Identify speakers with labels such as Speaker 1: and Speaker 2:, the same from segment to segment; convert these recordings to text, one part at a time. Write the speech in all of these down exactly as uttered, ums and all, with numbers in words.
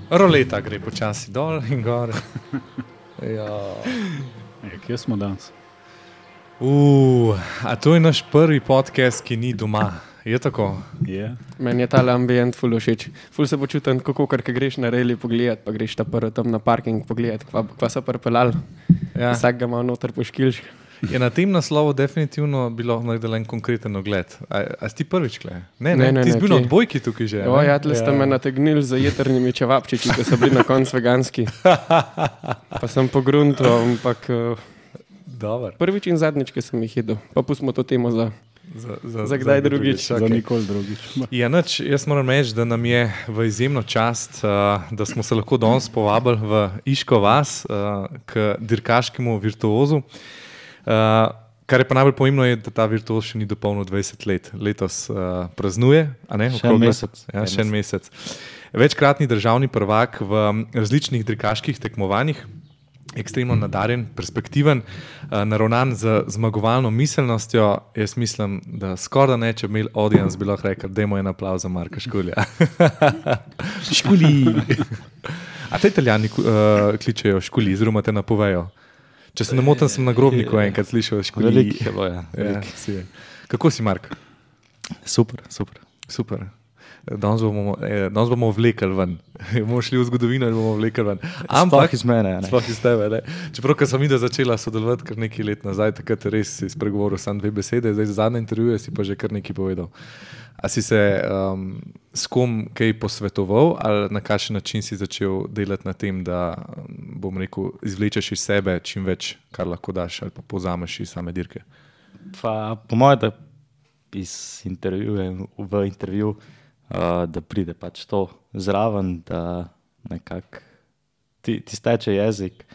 Speaker 1: Roleta gre počasi dol in gor. Ja.
Speaker 2: E, kje smo danes?
Speaker 1: Uh, a to je naš prvi podcast, ki ni doma. Je tako?
Speaker 2: Je.
Speaker 3: Meni je ta ambient ful všeč. Ful se počutim tako, ker greš na reli pogledat, pa greš ta prvo tam na parking pogledat, kva, kva so pripeljali.
Speaker 1: Ja.
Speaker 3: Vsak ga ima noter poškilš.
Speaker 1: Je na tem naslovu definitivno bilo naredila en konkreten ogled. A, a si ti prvič, kle? Ne, ne,
Speaker 3: Ne, ne,
Speaker 1: ti si
Speaker 3: ne,
Speaker 1: bil na
Speaker 3: kje?
Speaker 1: odbojki tukaj že.
Speaker 3: O,
Speaker 1: ne?
Speaker 3: ja, tle ste me nategnili za jetrnimi čevapčiči, ki so bili na koncu veganski. Pa sem pogruntal, ampak uh,
Speaker 1: Dobar.
Speaker 3: prvič in zadnjič, ki sem jih jedel. Pa pustimo to temo za,
Speaker 1: Za, za,
Speaker 3: za kdaj drugič.
Speaker 2: Za
Speaker 1: Okay.
Speaker 2: nikoli drugič.
Speaker 1: Ja, nič, jaz moram reči, da nam je v izjemno čast, uh, da smo se lahko danes povabili v Iško vas, uh, k dirkaškemu virtuozu. Uh, kar je pa najbolj pomembno, je, da ta virtuoz še ni dopolnil dvajset let. Letos uh, praznuje, a ne?
Speaker 2: Še en
Speaker 1: Okroglo-
Speaker 2: mesec.
Speaker 1: Ja, še en mesec. Večkratni državni prvak v različnih dirkaških tekmovanjih, ekstremno nadarjen, perspektiven, uh, naravnan z zmagovalno miselnostjo. Jaz mislim, da skoraj da ne, če bi imeli audience, bi lahko rekel, dajmo en aplauz za Marka Škulja. Škuli! A te Italijani uh, kličejo Škuli, oziroma te napovejo? Če se ne motim, sem na grobniku enkrat slišal Škuli.
Speaker 2: Veliko je bilo, ja.
Speaker 1: Ja,
Speaker 2: Veliko.
Speaker 1: si je. Kako si, Mark?
Speaker 2: Super, super.
Speaker 1: Super. Danes bomo, eh, danes bomo vlekli ven. bomo šli v zgodovino in bomo vlekli ven.
Speaker 2: Sploh iz mene, ne.
Speaker 1: Sploh iz tebe. Ne? Čeprav, ko sem videl začela sodelovati kar nekaj let nazaj, takrat res si spregovoril samo dve besede, zdaj za zadnje intervjuje si pa že kar nekaj povedal. A si se um, s kom kaj posvetoval ali na kakšen način si začel delati na tem, da, bom rekel, izvlečeš iz sebe čim več, kar lahko daš ali pa povzameš iz same dirke?
Speaker 4: Pa, po mojem, da iz intervjuja v intervju, uh, da pride pač to zraven, da nekako ti, ti steče jezik.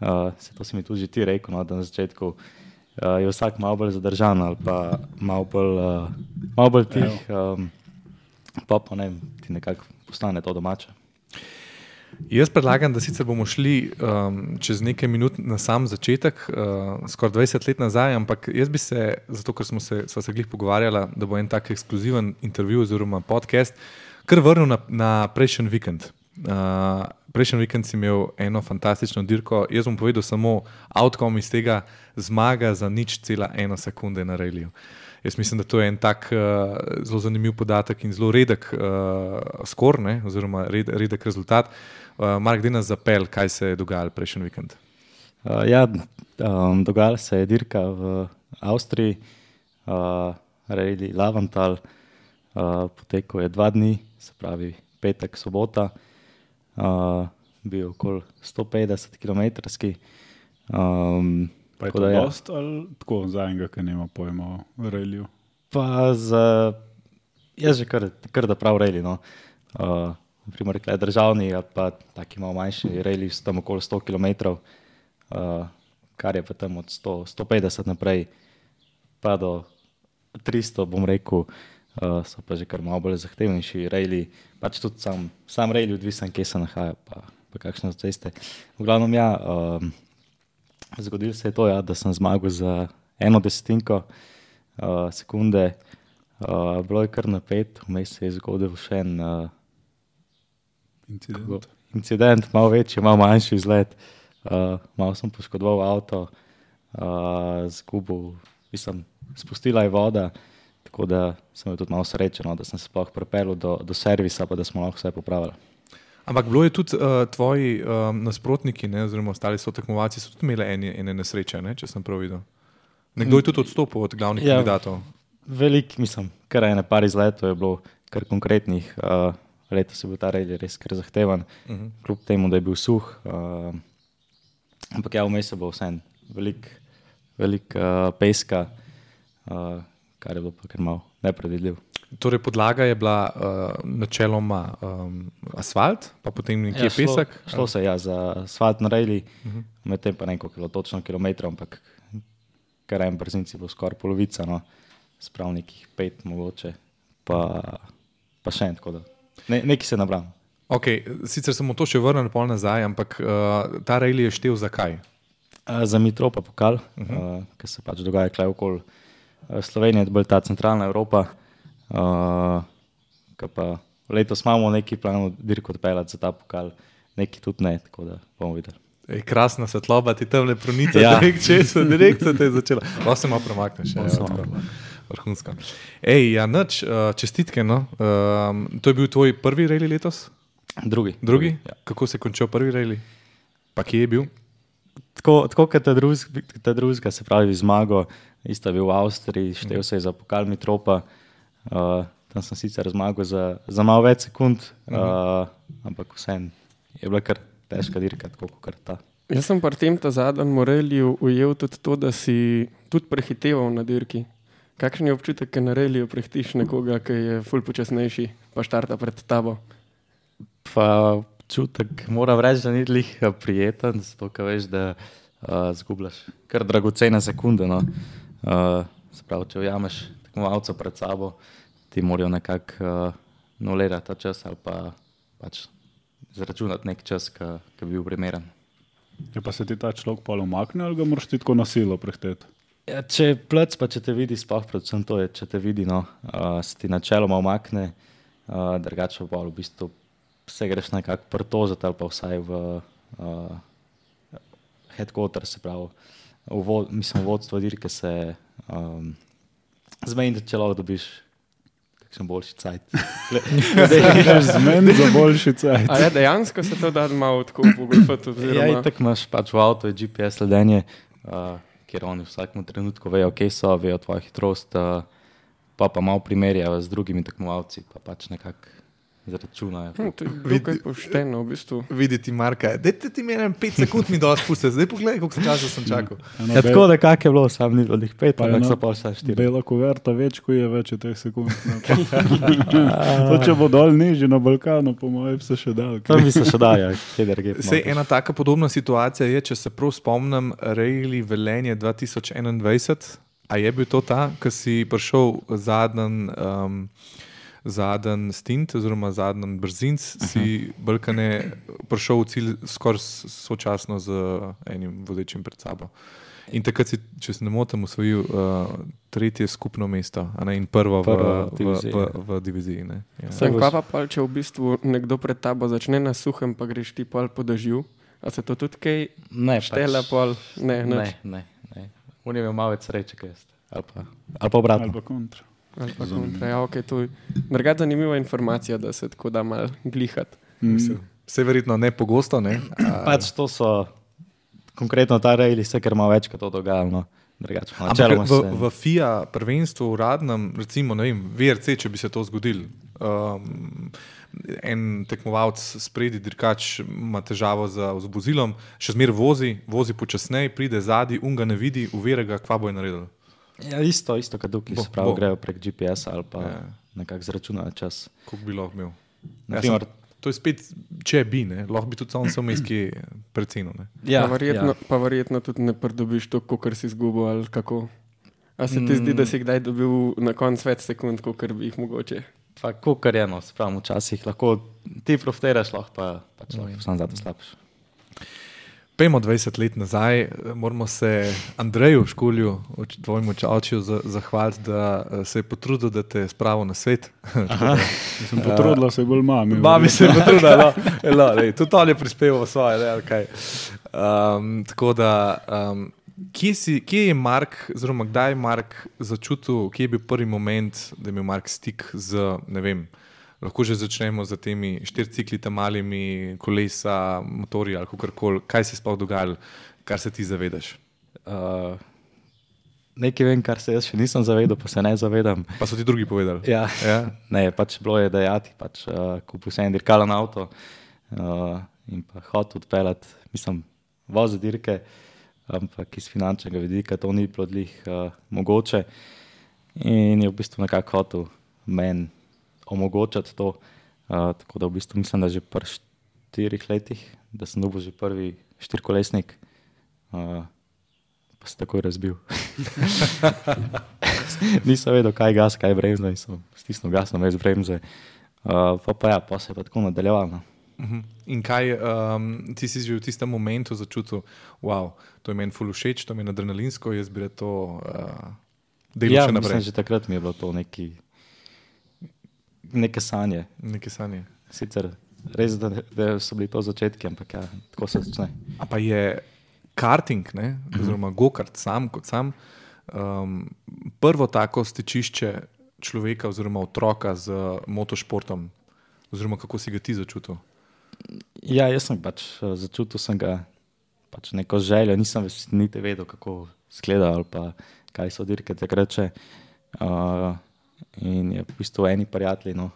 Speaker 4: Uh, se to si mi tudi že ti rekel, no, da na začetku uh, je vsak malo bolj zadržan ali pa malo bolj, uh, malo bolj tih, um, pa pa ne vem, ti nekako postane to domače.
Speaker 1: Jaz predlagam, da sicer bomo šli um, čez nekaj minut na sam začetek, uh, skoraj dvajset let nazaj, ampak jaz bi se, zato ker smo se, sva se glih pogovarjala, da bo en tak ekskluziven intervju oziroma podcast, kar vrnil na, na prejšnji vikend. Uh, prejšnji vikend si imel eno fantastično dirko, jaz bom povedal samo outcome iz tega, zmaga za nič cela ena sekunde na reliju. Jaz mislim, da to je en tak uh, zelo zanimiv podatek in zelo redek uh, skor, ne, oziroma red, redek rezultat. Uh, Mark, daj nas zapel, kaj se je dogajalo prejšnji vikend.
Speaker 4: Uh, ja, um, dogajala se je dirka v Avstriji, uh, Rally Lavantal, uh, potekal je dva dni, se pravi petek, sobota, uh, bil okoli sto petdeset kilometrski. Um,
Speaker 2: Pa je
Speaker 4: tako
Speaker 2: to
Speaker 4: da ja.
Speaker 2: dost ali tako za enega, ki nema pojma o reliju?
Speaker 4: Pa za, jaz že kar, kar da prav rally, no. Uh, naprimer, rekla je državni, ali pa taki malo manjši rally, so tam okoli sto kilometrov, uh, kar je pa tam od sto, sto petdeset naprej, pa do tristo, bom rekel, uh, so pa že kar malo bolj zahtevnejši rally, pač tudi sam, sam rally odvisen, kje se nahaja, pa, pa kakšne so ceste. V glavnem, ja, um, zgodilo se je to, ja, da sem zmagal za eno desetinko uh, sekunde, uh, bilo je kar napet, vmes se je zgodil še en uh,
Speaker 2: Incident.
Speaker 4: incident, malo večji, malo manjši izlet, uh, malo sem poškodoval avto, uh, zgubil, mislim, spustila je voda, tako da sem bil tudi malo srečen, no, da sem se sploh pripeljal do, do servisa, pa da smo lahko vse popravili.
Speaker 1: Ampak bilo je tudi uh, tvoji um, nasprotniki, ne, oziroma ostali so tekmovalci, so tudi imeli ene, ene nesreče, ne, če sem prav videl. Nekdo je tudi odstopil od glavnih
Speaker 4: Ja.
Speaker 1: kandidatov.
Speaker 4: Velik, mislim, kar ene par izletov je bilo kar konkretnih. Uh, letos je bil ta rally res kar zahteven, uh -huh. kljub temu, da je bil suh. Uh, ampak ja, vmes je bilo vseeno velik, velik uh, peska, uh, kar je bilo pa kar malo nepredvidljivo.
Speaker 1: Torej, podlaga je bila uh, načeloma um, asfalt, pa potem nekje
Speaker 4: Ja, šlo,
Speaker 1: pesek.
Speaker 4: šlo se ja za asfalt na rally, uh -huh. medtem pa neko kilo točno kilometrov, ampak kar en brzinci bo skoraj polovica, no, sprav nekih pet mogoče, pa, pa še en, tako da ne, neki se nabram.
Speaker 1: Okay, sicer smo to še vrnili pol nazaj, ampak uh, ta rally je štel zakaj?
Speaker 4: Uh, za Mitropa pokal, uh -huh. uh, ki se pač dogaja klej okoli uh, Slovenije, bolj ta centralna Evropa, uh, ki pa letos imamo neki plan dirko odpeljati za ta pokal, neki tudi ne, tako da bomo videli.
Speaker 1: Ej, krasna svetloba, ti tam le pronica,
Speaker 4: Ja.
Speaker 1: direkt česa, direkt se te je začela. Lahko se malo premakneš. Ja,
Speaker 4: Lahko se
Speaker 1: ja,
Speaker 4: malo
Speaker 1: tako. Vrhunsko. Ej, ja, nič, uh, čestitke, no. Um, to je bil tvoj prvi rally letos?
Speaker 4: Drugi.
Speaker 1: Drugi?
Speaker 4: Ja.
Speaker 1: Kako se je končal prvi rally? Pa kje je bil?
Speaker 4: Tako, tako kot ta drugega, ta drugega, se pravi zmago, isto je bil v Avstriji, štel se je za pokal Mitropa, uh, tam sem sicer zmagal za, za malo več sekund, uh, ampak vseeno je bila kar težka dirka, tako kot ta.
Speaker 3: Jaz sem pri tem ta zadnjem Moreliju ujel tudi to, da si tudi prehiteval na dirki. Kakšen je občutek, ko na reliju prehitiš nekoga, ki je ful počasnejši, pa štarta pred tabo?
Speaker 4: Pa čutek, moram reči, da ni lih prijeten, zato ker veš, da uh, zgubljaš kar dragocene sekunde. No. Uh, se pravi, če ujameš tekmovalca pred sabo, ti morajo nekako uh, nulirati ta čas ali pa pač zračunati nek čas, ki bi bil primeren.
Speaker 2: Je pa se ti ta človek pol umakne ali ga moraš ti tako na silo prehteti?
Speaker 4: Ja, če je plec, pa če te vidi, sploh predvsem to je, če te vidi, no, uh, se ti načeloma umakne, uh, drugače pa v bistvu se greš nekako prtožiti ali pa vsaj v uh, headquarter, se pravi, v vod, mislim, vodstvo dirke se um, zmeni, če lahko dobiš kakšen boljši cajt.
Speaker 2: Zmeni za boljši cajt.
Speaker 3: A ja, dejansko se to da malo tako pogolfati
Speaker 4: Ja,
Speaker 3: oziroma...
Speaker 4: itak imaš pač v avto G P S sledenje, uh, kjer oni v vsakem trenutku vejo, kje so, vejo tvojo hitrost, uh, pa pa malo primerjajo z drugimi tekmovalci, pa pač nekako zračunajo.
Speaker 3: Hm, to je dokaj pošteno, v bistvu.
Speaker 1: Videti Marka, dajte ti meni pet sekund mi dosti puste, zdaj pogledaj, koliko časa sem čakal.
Speaker 4: Ja, tako da kak je bilo, sam ni bilo njih pet,
Speaker 2: Pa
Speaker 4: ampak
Speaker 2: eno-
Speaker 4: so pa vse štiri.
Speaker 2: Bela kuverta več, ko je več je teh sekund. To, če bo dol nižji na Balkanu, po mojem se še dal.
Speaker 4: Tam bi se še dal, ja, kje drugje.
Speaker 1: Sej, ena taka podobna situacija je, če se prav spomnim, Rally Velenje dva tisoč enaindvajset. A je bil to ta, ki si prišel zadnji um, zadnji stint, oziroma zadnji brzinc, si Balkane prišel v cilj skoraj s- sočasno z enim vozečim pred sabo. In takrat si, če se ne motim, osvojil uh, tretje skupno mesto, a ne, in prvo v,
Speaker 4: Prvo
Speaker 1: v,
Speaker 4: diviziji,
Speaker 1: v, v, v diviziji. Ne, ja.
Speaker 3: Sem kva pa pol, če v bistvu nekdo pred tabo začne na suhem, pa greš ti pol po dežju? A se to tudi kaj
Speaker 4: Ne,
Speaker 3: štela pol? Ne,
Speaker 4: ne,
Speaker 3: nič.
Speaker 4: ne, ne. On je imel malo več sreče, kaj jaz. Ali pa, ali pa obratno.
Speaker 2: Ali pa kontra.
Speaker 3: Ali pa kontra, ja, okay, to je drugače zanimiva informacija, da se tako da malo glihati.
Speaker 1: Mislim, vse verjetno ne pogosto, ne? A,
Speaker 4: Pač to so konkretno ta rejli, se kar malo več, kot to dogajalo. No. Drugače,
Speaker 1: Ampak
Speaker 4: načeloma
Speaker 1: v,
Speaker 4: se-
Speaker 1: v F I A prvenstvu uradnem, recimo, ne vem, V R C, če bi se to zgodilo, um, en tekmovalec spredi, dirkač ima težavo z, z vozilom, še zmeraj vozi, vozi počasneje, pride zadnji, un ga ne vidi, uvere ga, kva bo je naredil.
Speaker 4: Ja, isto, isto kot tukaj,
Speaker 1: Bo-
Speaker 4: se pravi,
Speaker 1: bo.
Speaker 4: grejo prek G P S ali pa
Speaker 1: Ja.
Speaker 4: ja. nekako zračunajo čas.
Speaker 1: Koliko bi lahko imel?
Speaker 4: Na
Speaker 1: Ja,
Speaker 4: primer-
Speaker 1: sem, to je spet, če bi, ne, lahko bi tudi sam sem iskal preceno. Ne.
Speaker 3: Ja, pa, verjetno, ja. pa verjetno tudi ne pridobiš to, kot si izgubil ali kako. A se ti mm. zdi, da si kdaj dobil na koncu več sekund, kot bi jih mogoče?
Speaker 4: Pa kar je eno, se pravi, včasih lahko ti profitiraš, lahko pa pač lahko sam zato slabš.
Speaker 1: Pejmo dvajset let nazaj, moramo se Andreju Škulju, oč- tvojemu očetu, za- zahvaliti, da eh, se je potrudil, da te je spravil na svet.
Speaker 2: Sem potrudila se bolj mami.
Speaker 1: Mami se je potrudila, no, no, lej, tudi on je prispeval svoje. Ne, ali kaj. um, tako da, um, kje, si, kje je Mark, oziroma kdaj je Mark začutil, kje je bil prvi moment, da je imel Mark stik z, ne vem, lahko že začnemo z temi štiricikli, tam malimi kolesa, motorji ali kakorkoli. Kaj se je sploh dogajalo, kar se ti zavedaš?
Speaker 4: Uh, nekaj vem, kar se jaz še nisem zavedal, pa se ne zavedam.
Speaker 1: Pa so ti drugi povedali.
Speaker 4: Ja.
Speaker 1: Ja?
Speaker 4: Ne, pač bilo je dejati, pač uh, kupil sem en dirkalen avto uh, in pa hotel odpeljati, mislim, vozi dirke, ampak iz finančnega vidika to ni bilo dlih uh, mogoče in je v bistvu nekako hotel meni omogočati to, uh, tako da v bistvu mislim, da že pri štirih letih, da sem dobil že prvi štirikolesnik, uh, pa se takoj razbil. Nisem vedel, kaj je gas, kaj je bremza in sem stisnil gas na mest bremze. Uh, pa pa ja, pa se je pa tako nadaljevalo.
Speaker 1: Uh-huh. In kaj um, ti si že v tistem momentu začutil, wow, to je meni ful všeč, to je meni adrenalinsko, jaz bi to uh, delal
Speaker 4: Ja,
Speaker 1: še
Speaker 4: mislim,
Speaker 1: naprej.
Speaker 4: že takrat mi je bilo to neki, neke sanje.
Speaker 1: Neke sanje.
Speaker 4: Sicer res, da, da so bili to začetki, ampak ja, tako se začne.
Speaker 1: A pa je karting, ne, oziroma go-kart sam kot sam, um, prvo tako stičišče človeka oziroma otroka z motošportom, oziroma kako si ga ti začutil?
Speaker 4: Ja, jaz sem pač začutil sem ga pač neko željo, nisem niti vedel, kako izgleda ali pa kaj so dirke takrat še. Uh, in je v bistvu eni prijatelji, no,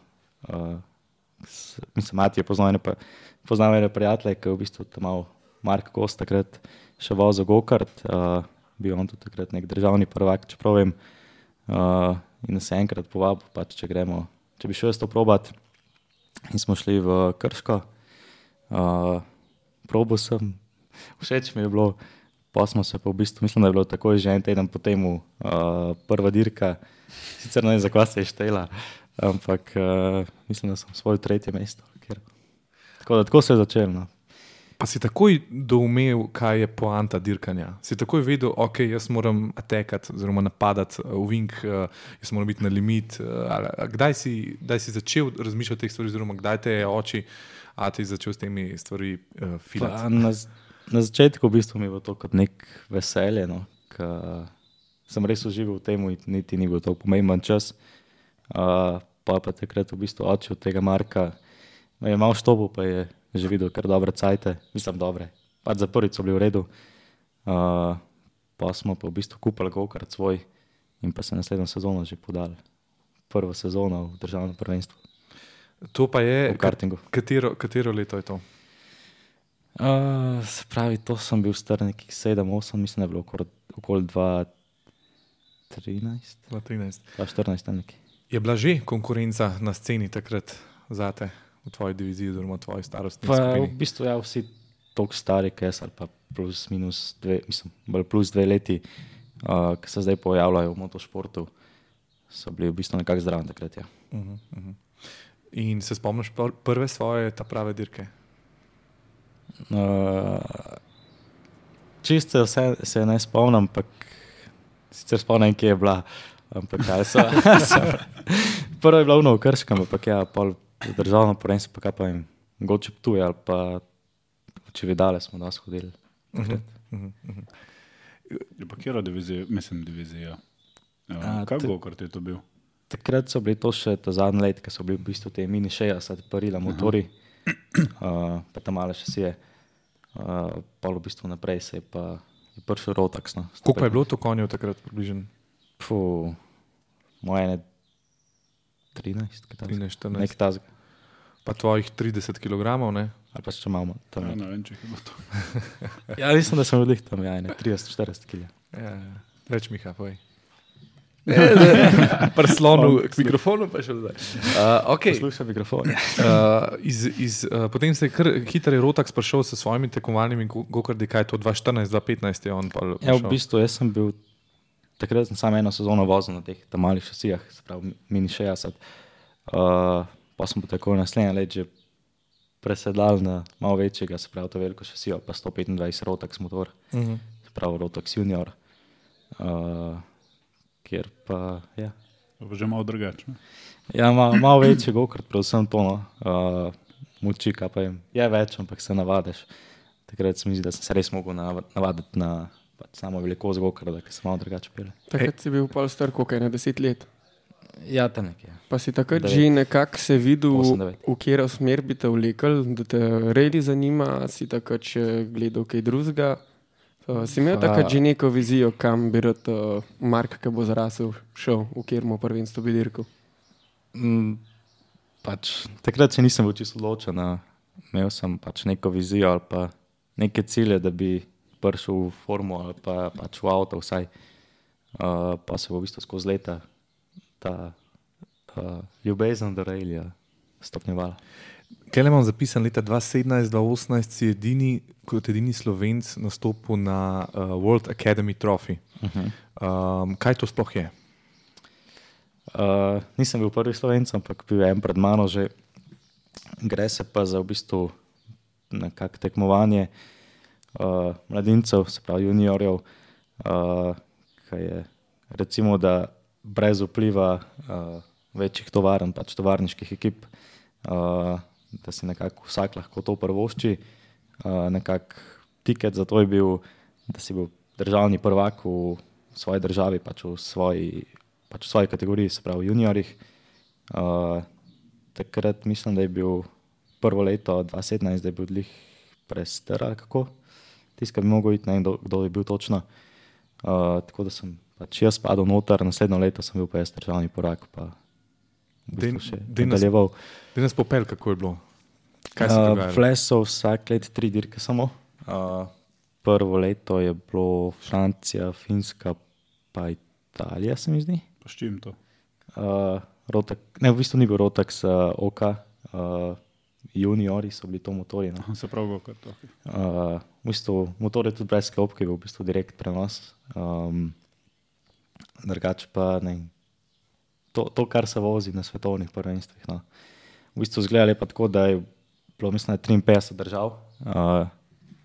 Speaker 4: uh, s, mislim, Mati je poznal ene, poznal ene prijatelje, ki je v bistvu tam mal Mark Kost takrat še vozil go-kart, uh, bil on tudi takrat nek državni prvak, čeprav vem, uh, in nas je enkrat povabil, pač, če gremo, če bi šel jaz to probat. In smo šli v Krško, uh, probal sem, všeč mi je bilo, pa smo se pa v bistvu, mislim, da je bilo takoj že en teden po temu uh, prva dirka, sicer ne vem, za kva se je štela, ampak uh, mislim, da sem svoje tretje mesto. Ker... Tako da tako se je začelo. No.
Speaker 1: Pa si takoj doumel, kaj je poanta dirkanja? Si takoj vedel, ok, jaz moram atekati oziroma napadati v vink, jaz moram biti na limit. Kdaj si, kdaj si začel razmišljati o teh stvari oziroma kdaj te je oči, a ti začel s temi stvari uh, filati?
Speaker 4: Na, na začetku v bistvu mi je bilo to kot nek veselje, no, ka sem res užival v tem, niti ni bil to pomemben čas. Uh, pa pa takrat v bistvu oči od tega Marka me je malo štopil, pa je že videl kar dobre cajte, mislim dobre, pač za prvič so bili v redu. Uh, pa smo pa v bistvu kupili go-kart svoj in pa se naslednjo sezono že podali. Prvo sezono v državnem prvenstvu.
Speaker 1: To pa je,
Speaker 4: v kartingu.
Speaker 1: Katero, katero leto je to?
Speaker 4: Uh, se pravi, to sem bil star nekih sedem, osem, mislim, da je bilo okoli, okoli dva trinajst.
Speaker 1: dva trinajst.
Speaker 4: dva štirinajst tam nekaj.
Speaker 1: Je bila že konkurenca na sceni takrat zate? V tvoji diviziji oziroma v tvoji starostni
Speaker 4: pa,
Speaker 1: skupini?
Speaker 4: V bistvu ja, vsi toliko stari, kaj jaz, ali pa plus minus dve, mislim, bolj plus dve leti, uh, ki se zdaj pojavljajo v motošportu, so bili v bistvu nekako zdravi takrat, ja.
Speaker 1: Uh-huh, uh-huh. In se spomniš prve svoje ta prave dirke?
Speaker 4: Uh, čisto se, se ne spomnim, ampak sicer spomnim, kje je bila, ampak kaj so. Prvo je bila v Krškem, ampak ja, pol za državno prvenstvo, pa kaj pa jim, Goče Ptuj ali pa Čevidale smo da shodili.
Speaker 1: Uh-huh, uh-huh, uh-huh.
Speaker 2: Je pa kjera divizija, mislim divizija. Ja,
Speaker 4: A,
Speaker 2: kaj
Speaker 4: te-
Speaker 2: go-kart je to bil?
Speaker 4: Takrat so bili to še ta zadnji let, ki so bili v bistvu te mini šestdeset parila motori, uh, pa tam male šasije. Uh, pol v bistvu naprej se je pa je prišel Rotax. No,
Speaker 1: Koliko pa je bilo to konjev takrat približno?
Speaker 4: Puh, moje ne trinajst, kaj tazga.
Speaker 1: trinajst, štirinajst.
Speaker 4: Nek tazga.
Speaker 1: Pa tvojih trideset kilogramov, ne?
Speaker 4: Ali pa še malo tam.
Speaker 2: Ja,
Speaker 4: Ja,
Speaker 2: ne vem, če je bilo to.
Speaker 4: ja mislim, da sem odlih tam, ja, ne, trideset štirideset kilja.
Speaker 1: Ja, reč Miha, povej. Prslonu k mikrofonu pa še zdaj. Uh, okay.
Speaker 4: Poslušaj mikrofon.
Speaker 1: Uh, iz, iz, uh, potem se je kar hitro Rotax prišel s svojimi tekmovalnimi go- go-karti, kaj je to dva štirinajst, dva petnajst je on pa
Speaker 4: Ja, v
Speaker 1: prišel.
Speaker 4: bistvu jaz sem bil, takrat sem samo eno sezono vozil na teh tam malih šasijah, se pravi mini šestdeset. Uh, pa sem pa tako naslednje let že presedal na malo večjega, se pravi to veliko šasijo, pa sto petindvajset Rotax motor,
Speaker 1: Uh-huh.
Speaker 4: se pravi Rotax Junior. Uh, kjer pa, ja.
Speaker 2: To pa že malo drugače. ne?
Speaker 4: Ja, malo mal večji go-kart, predvsem to, no. Uh, moči, kaj pa jim, je več, ampak se navadiš. Takrat se mi zdi, da sem se res mogel nav- navaditi na pač samo velikost go-karta, ker sem malo drugače pele.
Speaker 3: Takrat si bil pol star, koliko je na deset let.
Speaker 4: Ja, tam nekje.
Speaker 3: Pa si takrat
Speaker 4: Devet.
Speaker 3: že nekako se videl,
Speaker 4: Osem, devet.
Speaker 3: v katero smer bi te vlekel, da te redi zanima, si takrat še gledal kaj drugega. Uh, si imel
Speaker 4: Pa-
Speaker 3: takrat že neko vizijo, kam bi rad uh, Mark, ki bo zrasel, šel, v katerem prvenstvu bi dirkal?
Speaker 4: Mm, pač, takrat še nisem bil čisto odločen, a imel sem pač neko vizijo ali pa neke cilje, da bi prišel v formu ali pa pač v avto vsaj. Uh, pa se bo v bistvu skozi leta ta uh, ljubezen do rallyja stopnjevala.
Speaker 1: Kaj le imam zapisan, leta dva sedemnajst, dva osemnajst si edini, kot edini Slovenc nastopil na uh, World Academy Trophy.
Speaker 4: Uh-huh.
Speaker 1: Um, kaj to sploh je?
Speaker 4: Uh, nisem bil prvi Slovenc, ampak bil je en pred mano že. Gre se pa za v bistvu nekako tekmovanje uh, mladincev, se pravi juniorjev, uh, ki je recimo, da brez vpliva uh, večjih tovarn, pač tovarniških ekip, uh, da si nekako vsak lahko to prvošči. Uh, nekako tiket za to je bil, da si bil državni prvak v svoji državi, pač v svoji, pač v svoji kategoriji, se pravi v juniorjih. Uh, takrat mislim, da je bil prvo leto dva tisoč sedemnajst, da je bil dlih prester ali kako. Tiskaj bi mogel iti, ne vem, kdo, kdo je bil točno. Uh, tako da sem pač jaz padel noter, naslednjo leto sem bil pa jaz državni prvak, pa v bistvu še nadaljeval.
Speaker 1: Da nas popel, kako je bilo? Kaj se je dogajalo?
Speaker 4: Flesov vsak let tri dirke samo. Uh, prvo leto je bilo Francija, Finska pa Italija, se mi zdi.
Speaker 2: Pa s čim to?
Speaker 4: Uh, Rotak, ne, v bistvu ni bil Rotax, uh, Oka, uh, juniori so bili to motori. No.
Speaker 2: Se pravi, kako to.
Speaker 4: Uh, v bistvu motor je tudi brez klopke, bil v bistvu direkt prenos. Um, drugače pa ne, to, to, kar se vozi na svetovnih prvenstvih. No. V bistvu zgledali pa tako, da je bilo, mislim, triinpetdeset držav, uh,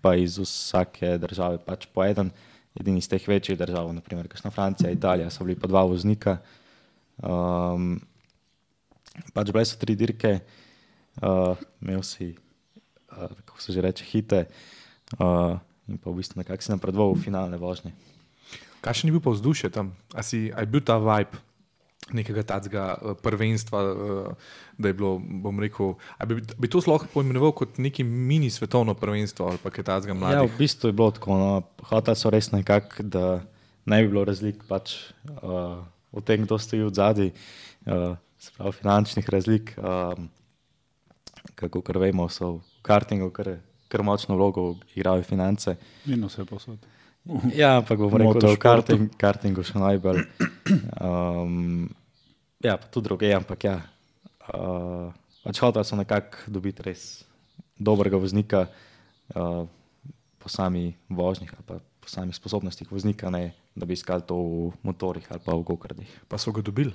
Speaker 4: pa iz vsake države pač po eden, edini iz teh večjih držav, naprimer, kakšna Francija, Italija, so bili pa dva voznika. Um, pač bile so tri dirke, uh, imel si, uh, kako se že reče, hite, uh, in pa v bistvu nekako si napredoval v finalne vožnje.
Speaker 1: Kakšen je bil pa vzdušje tam? A, si, a je bil ta vibe nekega tacga prvenstva, da je bilo, bom rekel, a bi, bi to lahko poimenoval kot neki mini svetovno prvenstvo ali pa kaj tacga mladih?
Speaker 4: Ja, v bistvu je bilo tako, no, hoteli so res nekako, da ne bi bilo razlik pač uh, v tem, kdo stoji od zadaj, uh, se pravi finančnih razlik, um, kako kar vemo, so v kartingu kar, kar močno vlogo igrajo finance.
Speaker 2: In vse posod.
Speaker 4: Ja, ampak bom rekel, da v karting, kartingu še najbolj. Um, ja, pa tudi druge, ampak ja. Uh, pač hoteli so nekako dobiti res dobrega voznika uh, po sami vožnjih ali pa po samih sposobnostih voznika, ne da bi iskali to v motorjih ali pa v gokardih.
Speaker 1: Pa so ga dobili?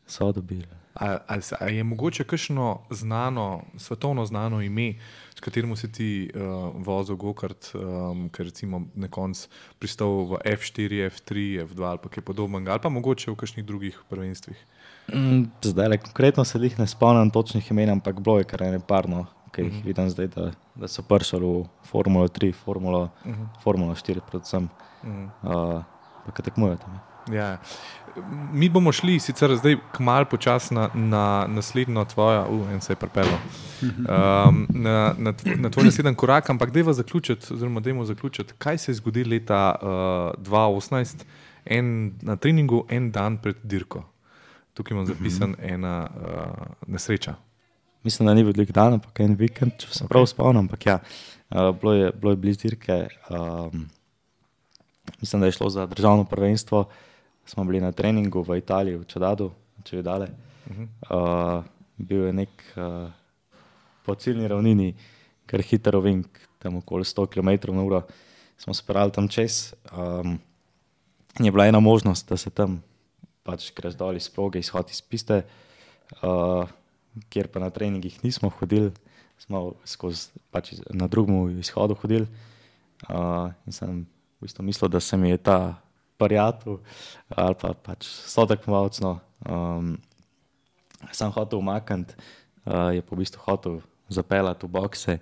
Speaker 4: So dobili.
Speaker 1: A, a, a je mogoče kakšno znano, svetovno znano ime, s katerim si ti uh, vozil gokart, um, ker recimo na koncu pristal v F štiri, F tri, F dva ali pa kaj podobnega, ali pa mogoče v kakšnih drugih prvenstvih?
Speaker 4: Mm, zdaj, le, konkretno se jih ne spomnim točnih imen, ampak bilo je kar ene parno, ki jih mm-hmm. vidim zdaj, da, da so prišli v Formulo tri, Formulo, mm-hmm. Formulo štiri predvsem, mm-hmm. uh, pa kaj tekmujejo tam.
Speaker 1: Ja. Mi bomo šli sicer zdaj kmalu počasi na, na naslednjo tvojo, uh, en se je pripelo, um, na, na, na tvoj naslednji korak, ampak dajmo zaključiti, oziroma dajmo zaključiti, kaj se je zgodilo leta uh, dva tisoč osemnajst, en, na treningu en dan pred dirko. Tukaj imam zapisan ena uh, nesreča.
Speaker 4: Mislim, da ni bil velik dan, ampak en vikend, če se okay. prav spomnim, ampak ja, uh, bilo je, bilo je blizu dirke. Um, mislim, da je šlo za državno prvenstvo. Smo bili na treningu v Italiji, v Čedadu, če je dale. Uh-huh. Uh, bil je nek uh, po ciljni ravnini, kar hiter ovink, tam okoli sto kilometrov na uro. Smo se parali tam čez. Um, je bila ena možnost, da se tam pač greš dol iz proge, izhod iz piste, uh, kjer pa na treningih nismo hodili, smo skozi, pač na drugem izhodu hodili. Uh, in sem v bistvu mislil, da se mi je ta prijatelj ali pa pač sotekmovalec, no, um, sem hotel umakniti, uh, je pa v bistvu hotel zapeljati v bokse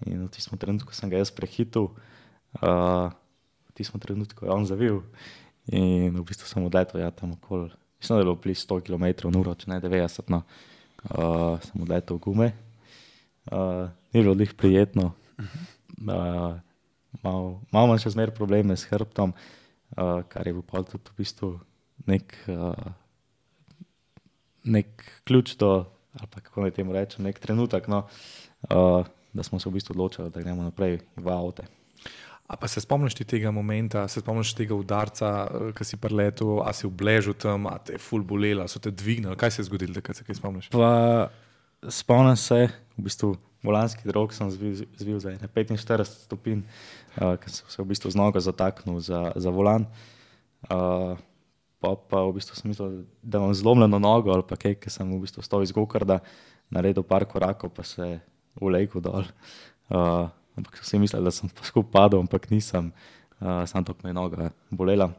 Speaker 4: in v tistem trenutku sem ga jaz prehitil, uh, v tistem trenutku je on zavil in v bistvu sem odletel, ja, tam okoli, mislim, da je bilo blizu sto kilometrov na uro, če ne devetdeset, no, uh, sem odletel v gume, uh, ni bilo lih prijetno, uh, malo, malo manj še zmer probleme s hrbtom, Uh, kar je bil pa tudi v bistvu nek, uh, nek ključ do, ali pa kako naj temu rečem, nek trenutek, no, uh, da smo se v bistvu odločili, da gremo naprej v avte.
Speaker 1: A pa se spomniš ti tega momenta, se spomniš tega udarca, ki si preletel, a si obležil tam, a te je ful bolela, so te dvignili, kaj se je zgodilo, da se kaj spomniš?
Speaker 4: Pa spomnim se, v bistvu volanski drog sem zvil, zvil za petinštirideset stopinj, uh, ker sem se v bistvu z nogo zataknil za, za volan. Uh, pa, pa v bistvu sem mislil, da imam zlomljeno nogo ali pa kaj, ker sem v bistvu stal iz gokarda, naredil par korakov, pa se ulegel dol. Uh, ampak so vsi mislili, da sem skup padel, ampak nisem, uh, samo tako me je noga bolela.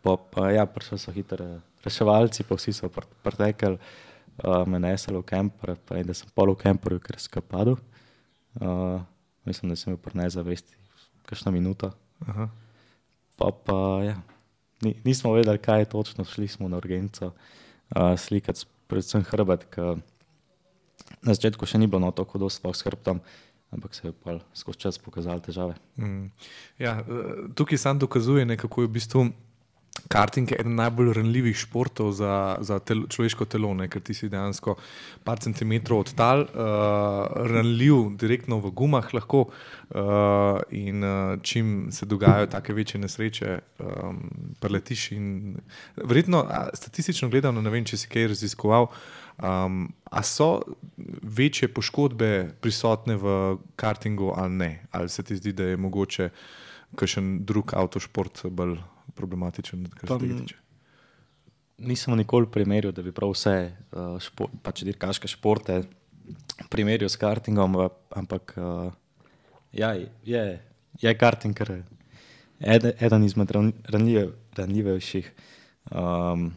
Speaker 4: Pa, pa ja, prišli so hitro reševalci, pa vsi so pr- pretekli, uh, me nesli v kemper, pa in da sem pol v kemperju, ker sem padel. Uh, mislim, da sem bil pri nezavesti kakšno minuto.
Speaker 1: Aha.
Speaker 4: Pa pa, ja, Ni, nismo vedeli, kaj je točno, šli smo na urgenco uh, slikati, predvsem hrbet, ker na začetku še ni bilo no, tako dosto s hrbtom, ampak se je pa skozi čas pokazali težave.
Speaker 1: Mm. Ja, tukaj sam dokazuje, ne, kako je v bistvu karting eden najbolj ranljivih športov za, za tel, človeško telo, ne, ker ti si dejansko par centimetrov od tal, uh, ranljiv direktno v gumah lahko uh, in uh, čim se dogajajo take večje nesreče, um, preletiš in verjetno, statistično gledano, ne vem, če si kaj raziskoval, Um, a so večje poškodbe prisotne v kartingu ali ne? Ali se ti zdi, da je mogoče kakšen drug avtošport bolj problematičen, kar se tega tiče?
Speaker 4: Nisem nikoli primerjal, da bi prav vse uh, šport, pač dirkaške športe primerjal s kartingom, ampak uh, ja, je, je karting kar eden, eden izmed ranljive, ranljivejših. Um,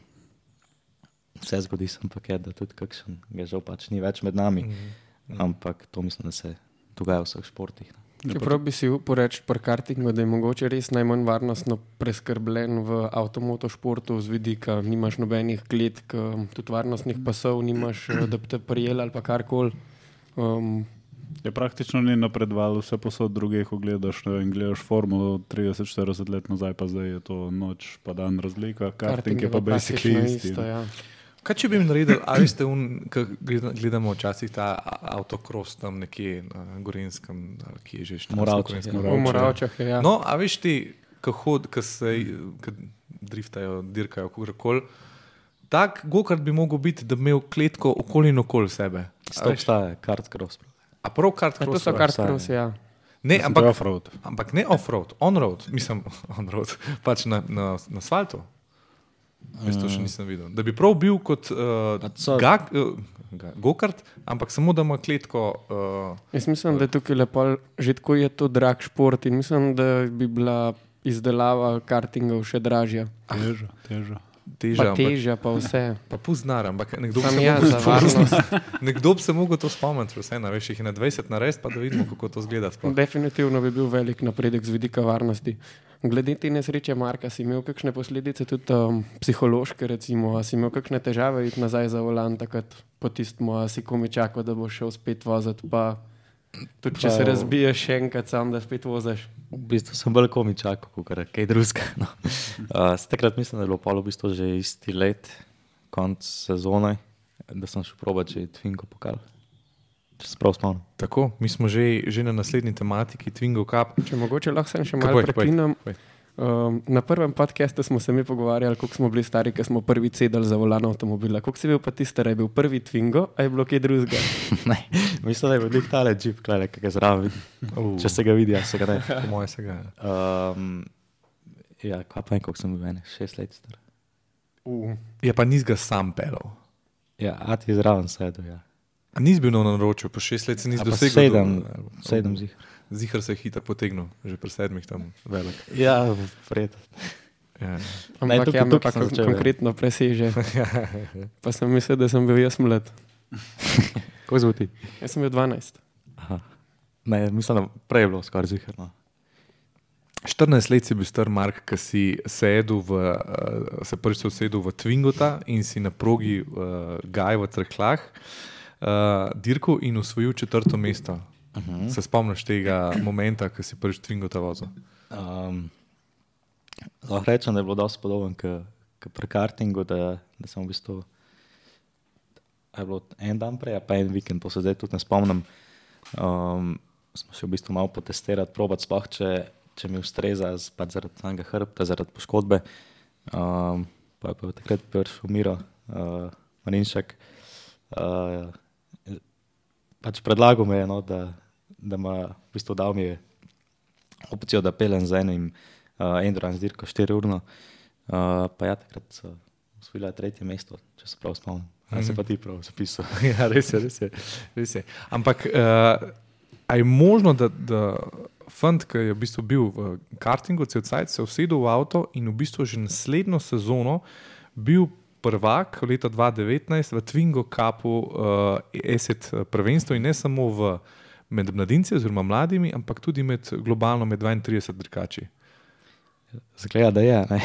Speaker 4: Vse zgodi se ampak je, da tudi kakšen ga žal pač ni več med nami, mm-hmm. ampak to mislim, da se dogaja v vseh športih.
Speaker 3: Čeprav bi si upal reči pri kartingu, da je mogoče res najmanj varnostno preskrbljen v avtomotošportu z vidika, nimaš nobenih kletk, tudi varnostnih pasov, nimaš, da bi te prijeli ali pa karkoli. Um,
Speaker 2: Je praktično ni napredoval, vse posod drugih ogledaš in gledaš formulo trideset štirideset let nazaj, pa zdaj je to noč pa dan razlika, karting je pa basically isti.
Speaker 3: Isto, ja.
Speaker 1: Kaj če bi mi naredili, ali ste un, ko gledamo včasih ta autokros tam nekje na Gorenjskem, ali kje je že štansko?
Speaker 4: Moravčah.
Speaker 3: V Moravčah je, ja.
Speaker 1: No, a veš ti, ko hod, ko se ko driftajo, dirkajo, kogarkoli, tak gokart bi mogel biti, da bi imel kletko okoli in okoli sebe.
Speaker 4: To obstaja, kart cross.
Speaker 1: A prav kart
Speaker 3: Ja, to
Speaker 1: cross?
Speaker 3: so kart-cross, ja.
Speaker 1: Ne,
Speaker 2: Mislim,
Speaker 1: ampak,
Speaker 2: to je off-road.
Speaker 1: ampak ne off-road, on-road, mislim on-road, pač na, na, na asfaltu. Jaz to še nisem videl. Da bi prav bil kot uh,
Speaker 4: so-
Speaker 1: gag, uh, ga- go-kart, ampak samo da ima kletko. Uh,
Speaker 3: Jaz mislim, da je tukaj lepo, že tako je to drag šport in mislim, da bi bila izdelava kartingov še dražja.
Speaker 2: Teža, teža.
Speaker 1: teža,
Speaker 3: Pa težja, pa vse.
Speaker 1: Pa puznar, ampak nekdo bi
Speaker 3: Sam
Speaker 1: se
Speaker 3: jaz
Speaker 1: mogel
Speaker 3: za
Speaker 1: to-
Speaker 3: varnost.
Speaker 1: nekdo bi se mogel to spomniti, vse, na, veš, jih je na dvajset narediti, pa da vidimo, kako to zgleda. sploh.
Speaker 3: Definitivno bi bil velik napredek z vidika varnosti. Glede te nesreče, Marka, si imel kakšne posledice, tudi um, psihološke, recimo, a si imel kakšne težave iti nazaj za volan, takrat po tistmu, a si komi čakal, da boš šel spet voziti, pa tudi če
Speaker 4: Pa-
Speaker 3: se razbiješ še enkrat sam, da spet voziš.
Speaker 4: V bistvu sem bolj komi čakal, kot kaj drugega. No. Uh, takrat mislim, da je bilo pol v bistvu že isti let, konc sezone, da sem šel probati že Twingo pokal. Če se prav spomnim.
Speaker 1: Tako, mi smo že, že na naslednji tematiki Twingo Cup.
Speaker 3: Če mogoče lahko sem še
Speaker 1: Kaj
Speaker 3: malo
Speaker 1: povej, povej,
Speaker 3: prekinem.
Speaker 1: povej.
Speaker 3: Um, na prvem podcastu smo se mi pogovarjali, koliko smo bili stari, ko smo prvi sedeli za volan avtomobila. Koliko si bil pa ti star, je bil prvi Twingo, a je bilo kaj drugega?
Speaker 4: Ne, mislim, da je bil nek tale džip, klele, ki ga zraven.
Speaker 1: Uh,
Speaker 4: Če se ga vidi, ja se ga ne.
Speaker 1: po moje se ga.
Speaker 4: Um, ja, kaj pa en, koliko sem bil, ene, šest let star.
Speaker 3: Uh.
Speaker 1: Je pa nis ga sam pelal.
Speaker 4: Ja, a ti je zraven sedel, ja.
Speaker 1: A nis bil na naročju, po šest let se nis
Speaker 4: A pa
Speaker 1: dosegel.
Speaker 4: sedem,
Speaker 1: do-
Speaker 4: sedem zih.
Speaker 1: Zihar se je hitro potegnil, že pri sedmih tam velik.
Speaker 4: Ja, vred.
Speaker 1: Ja.
Speaker 4: Ne,
Speaker 3: Ampak
Speaker 4: tukaj-
Speaker 3: ja, me
Speaker 4: tukaj
Speaker 3: pa
Speaker 4: sem
Speaker 3: kon-
Speaker 4: začel, ja.
Speaker 3: konkretno preseže. Pa sem mislil, da sem bil jaz mlad.
Speaker 4: Kako zvuti?
Speaker 3: Jaz sem bil dvanajst.
Speaker 4: Aha. Ne, mislim, da prej je bilo skoraj ziharno.
Speaker 1: štirinajst let si bil star, Mark, ki si sedel v, uh, se prvič usedel v Twingota in si na progi uh, Gaj v Cerklah uh, dirkal in osvojil četrto mesto.
Speaker 4: Uh-huh.
Speaker 1: Se spomniš tega momenta, ko si prvič Twingota vozil?
Speaker 4: Um, lahko rečem, da je bilo dosti podoben k, k pri kartingu, da, da sem v bistvu a je bilo en dan prej, a pa en vikend, to se zdaj tudi ne spomnim. Um, smo še v bistvu malo potestirati, probati sploh, če, če mi ustreza z, pač zaradi samega hrbta, zaradi poškodbe. Um, pa je pa takrat prišel Miro uh, Marinšek. Uh, pač predlagal me je, no, da, da ma v bistvu dal mi je opcijo, da pelem z enim uh, endurance dirko štiri urno. Uh, pa ja, takrat so osvojila tretje mesto, če se prav spomnim. A se pa ti prav zapisal.
Speaker 1: Ja, res je, res je. Res je. Ampak uh, a je možno, da, da fant, ki je v bistvu bil v kartingu, cel cajt se usedel v avto in v bistvu že naslednjo sezono bil prvak leta dva tisoč devetnajst v Twingo Cupu uh, Asset prvenstvo in ne samo v, med mladinci oziroma mladimi, ampak tudi med globalno med dvaintrideset dirkači.
Speaker 4: Zgleda, da je, ne,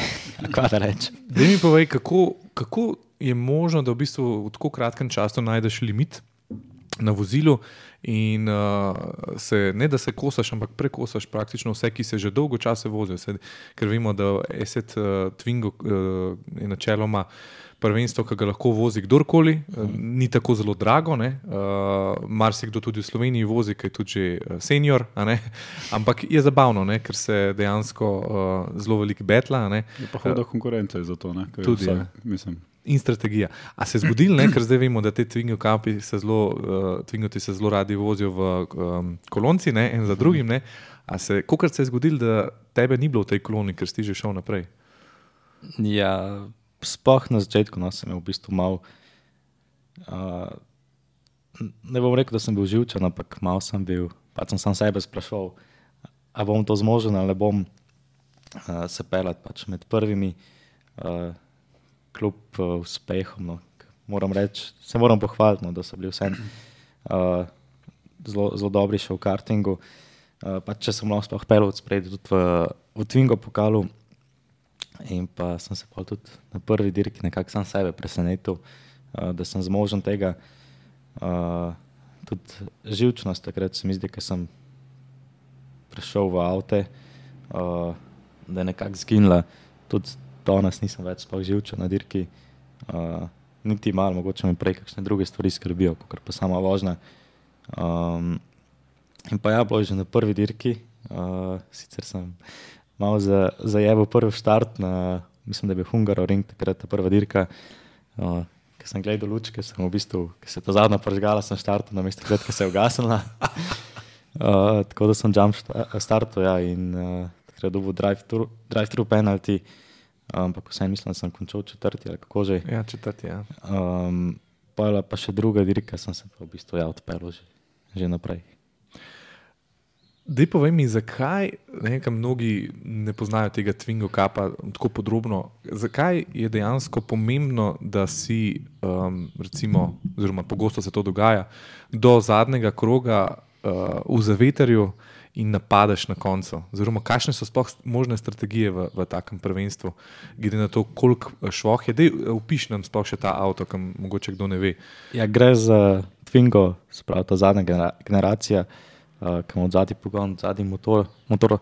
Speaker 4: kaj da reči.
Speaker 1: Daj mi povej, kako, kako je možno, da v bistvu v tako kratkem času najdeš limit na vozilu in uh, se, ne da se kosaš, ampak prekosaš praktično vse, ki se že dolgo časa vozijo. Se, ker vemo, da Asset uh, Twingo uh, je načeloma prvenstvo, ki ga lahko vozi kdorkoli, uh, ni tako zelo drago, ne? Uh, marsikdo tudi v Sloveniji vozi, ki je tudi že senior, a ne? Ampak je zabavno, ne? Ker se dejansko uh, zelo veliko betla. A ne?
Speaker 2: Je pa huda konkurenca za to, ne? Kaj
Speaker 1: Tudi,
Speaker 2: vsak,
Speaker 1: ja.
Speaker 2: mislim.
Speaker 1: In strategija. A se je zgodilo, ne? Ker zdaj vemo, da te Twingo Cupi se zelo, uh, Twingoti se zelo radi vozijo v um, kolonci, ne? En za drugim, ne? A se, kolikrat se je zgodilo, da tebe ni bilo v tej koloni, ker si že šel naprej?
Speaker 4: Ja, sploh na začetku, no, sem v bistvu mal, uh, ne bom rekel, da sem bil živčen, ampak mal sem bil, pa sem sam sebe sprašal, a bom to zmožen ali bom uh, se pelat pač med prvimi, uh, kljub uh, uspehom, no. Moram reči, se moram pohvaliti, no, da so bili vsem uh, zelo, zelo dobri še v kartingu. Uh, pa če sem lahko sploh pelil od spredi tudi v, v Twingo pokalu in pa sem se pa tudi na prvi dirki nekako sam sebe presenetil, uh, da sem zmožen tega. Uh, tudi živčnost takrat se mi zdi, ker sem prišel v avte, uh, da je nekako zginila. Tudi danes nisem več sploh živčen na dirki. Uh, niti malo, mogoče me prej kakšne druge stvari skrbijo, kakor pa sama vožnja. Um, in pa ja, bilo je že na prvi dirki. Uh, sicer sem malo za, zajebal prvi štart na, mislim, da je bil Hungaroring, takrat ta prva dirka. Uh, Ker sem gledal lučke, sem v bistvu, ker se je ta zadnja pržgala, sem štartal na mesto, ker se je ugasnila. uh, tako da sem jump startal, ja, in uh, takrat dobil drive-thru drive penalty. Ampak vsem mislim, da sem končal četrti ali kako že.
Speaker 1: Ja, četrti, ja.
Speaker 4: Um, pa pa še druga dirka, sem se pa v bistvu ja odpeljal že, že naprej.
Speaker 1: Dej povej mi, zakaj, nekaj mnogi ne poznajo tega Twingo Cupa tako podrobno, zakaj je dejansko pomembno, da si, um, recimo, oziroma pogosto se to dogaja, do zadnjega kroga uh, v zavetrju in napadeš na koncu? Oziroma, kakšne so sploh možne strategije v, v takem prvenstvu, glede na to, koliko švoh je? Dej, opiš nam sploh še ta avto, kam mogoče kdo ne ve.
Speaker 4: Ja, gre za Twingo, se pravi ta zadnja genera- generacija, uh, ki ima od zadnji pogon, zadnji motor, motor uh,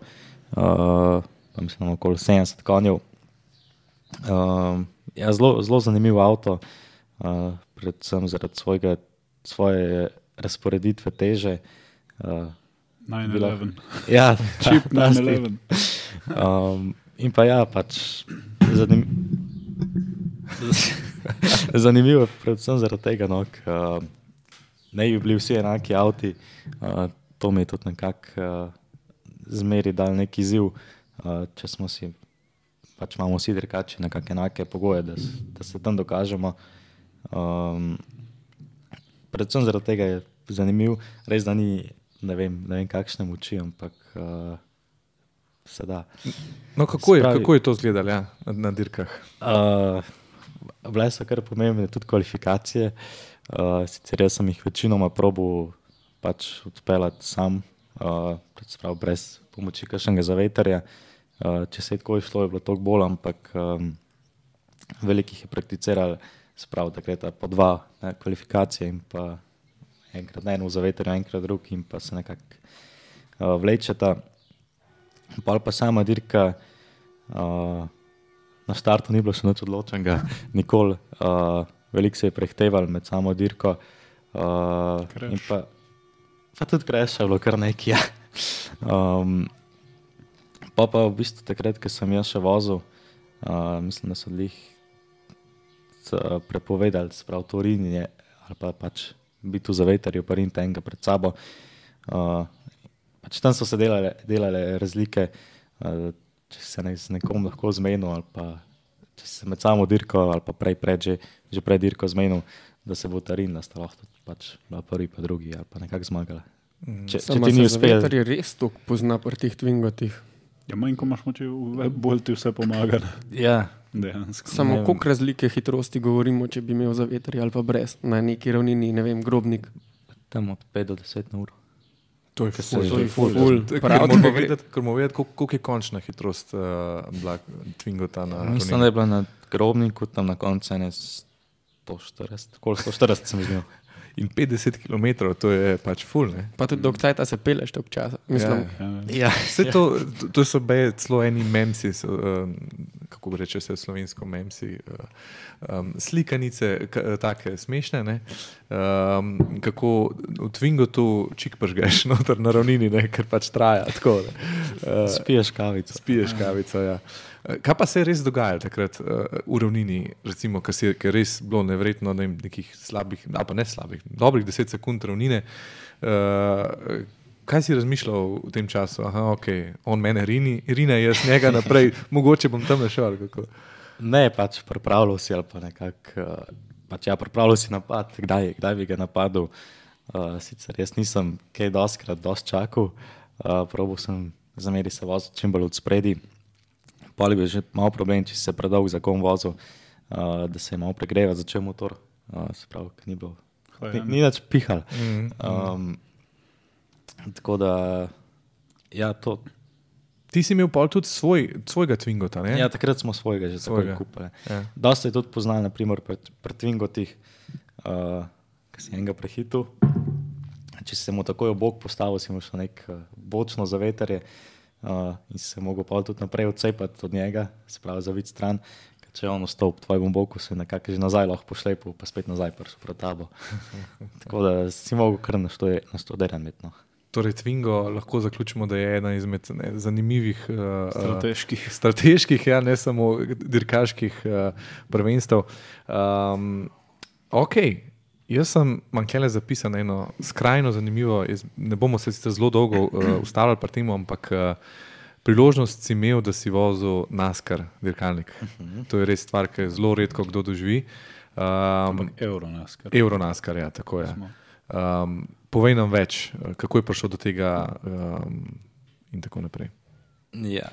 Speaker 4: pa mislim, okoli sedemdeset konjev. Uh, ja, zelo, zelo zanimiv avto, uh, predvsem zaradi svojega, svoje razporeditve teže. Uh,
Speaker 2: nine eleven.
Speaker 4: Ja,
Speaker 2: Čip nine eleven.
Speaker 4: Um, in pa ja, pač zanim... zanimivo je predvsem zaradi tega, no, uh, ne bi bili vsi enaki avti, uh, to mi je tudi nekako uh, zmeri dal neki izziv, uh, če smo si, pač imamo vsi dirkači nekako enake pogoje, da, da se tam dokažemo. Um, predvsem zaradi tega je zanimiv, res da ni Ne vem, ne vem kakšne moči, ampak uh, se da.
Speaker 1: No, kako je,
Speaker 4: Spravi,
Speaker 1: kako je to izgledalo, ja, na, na dirkah?
Speaker 4: Uh, bile so kar pomembne tudi kvalifikacije. Uh, sicer jaz sem jih večinoma probal pač odpeljati sam, uh, prav brez pomoči kakšnega zavetrja. Uh, če se je tako išlo, je bilo toliko bolj, ampak um, velikih je prakticiral, sprav, da gre ta po dva ne, kvalifikacije in pa enkrat na eno v zavetrju, enkrat drug in pa se nekako uh, vlečeta. Pol pa sama dirka, uh, na štartu ni bilo še nič odločenega, nikoli. Uh, veliko se je prehteval med samo dirko. Uh, in pa, pa tudi crash je bilo kar nekaj. Ja. Um, pa pa v bistvu takrat, ko sem jaz še vozil, uh, mislim, da so lih prepovedali, sprav to rinjenje ali pa pač biti v zavetrju, pa rinite enega pred sabo. Uh, pač tam so se delale, delale razlike, uh, če se ne, z nekom lahko zmenil ali pa če se med samo dirko ali pa prej pred, že, že pred dirko zmenil, da se bo ta rin, da sta lahko pač prvi pa drugi ali pa nekako zmagala. Če, če ti ni uspel.
Speaker 3: Zaveter je res toliko pozna pri tih Twingotih.
Speaker 2: Ja, manj, ko imaš moči, bolj ti vse pomaga.
Speaker 4: Ja,
Speaker 2: Dejansko.
Speaker 3: Samo koliko razlike hitrosti govorimo, če bi imel za veter ali pa brez, na neki ravnini, ne vem, Grobnik.
Speaker 4: Tam od pet do deset na uro.
Speaker 1: To je ful.
Speaker 3: To je ful.
Speaker 1: Ker
Speaker 3: Prav,
Speaker 1: moramo
Speaker 3: da gre-
Speaker 1: vedeti, ker moramo vedeti, koliko koliko je končna hitrost uh, bila Twingota na
Speaker 4: Mislim, da
Speaker 1: ravnini.
Speaker 4: je bila na Grobniku tam na koncu ene sto štirideset, koliko sto štirideset sem videl.
Speaker 1: In petdeset kilometrov, to je pač ful, ne?
Speaker 3: Pa tudi dolg cajta se peleš tog časa. Mislim,
Speaker 1: Ja.
Speaker 2: Ja.
Speaker 4: Ja,
Speaker 1: Vse to, to, to so bile celo eni memsi, so, um, kako bi reče se slovensko memsi, uh, um, slikanice, k, take smešne, ne? Um, kako v Twingotu čik pržgeš noter na ravnini, ne? Ker pač traja tako. Ne? Uh,
Speaker 4: spiješ kavico.
Speaker 1: spiješ kavico, ja. Kaj pa se je res dogajalo takrat uh, v ravnini, recimo, ker je ker res bilo nevredno, ne vem, nekih slabih, ali pa ne slabih, dobrih deset sekund ravnine. Uh, kaj si razmišljal v tem času? Aha, ok, on mene rini, rine, jaz njega naprej, mogoče bom tam našel. ali kako?
Speaker 4: Ne, pač pripravljal si ali pa nekako, uh, pač ja, pripravljal si napad, kdaj, kdaj bi ga napadel. Uh, sicer jaz nisem kaj doskrat dosti čakal, uh, probal sem zameri se voziti čim bolj od spredi. Poli bi že malo problem, če si se predolg za kom vozil, uh, da se je malo pregreva začel motor, uh, se pravi, ni bilo, ni, ni več pihal.
Speaker 1: Mm,
Speaker 4: Um, tako da, ja, to,
Speaker 1: Ti si imel pol tudi svoj, svojega Twingota, ne?
Speaker 4: ja, takrat smo svojega že
Speaker 1: Svojega.
Speaker 4: takoj kupili.
Speaker 1: Ja.
Speaker 4: Dosta je tudi poznal, naprimer pri, pri Twingotih, uh, ki si enega prehitil. Če si se mu takoj ob bok postavil, si mu šel nek uh, bočno zavetrje uh, in si se mogel pa tudi naprej odcepati od njega, se pravi zaviti stran. Ker če je on ostal v tvojem boku, se je nekako že nazaj lahko pošlepil, pa spet nazaj prišel pred tabo. Tako da si mogel kar naštuderen imeti. No.
Speaker 1: Torej, Twingo lahko zaključimo, da je ena izmed ne, zanimivih uh,
Speaker 2: Strateških.
Speaker 1: strateških, ja, ne samo dirkaških uh, prvenstev. Um, ok, jaz sem manjkele zapisal eno skrajno zanimivo, jaz, ne bomo se sicer zelo dolgo uh, ustavljali pri tem, ampak uh, priložnost si imel, da si vozil NASCAR dirkalnik. Uh-huh. To je res stvar, ki je zelo redko kdo doživi. Um,
Speaker 2: Euro nas, kar
Speaker 1: Euro NASCAR, ja, tako je. Um, povej nam več, kako je prišel do tega um, in tako naprej.
Speaker 4: Ja,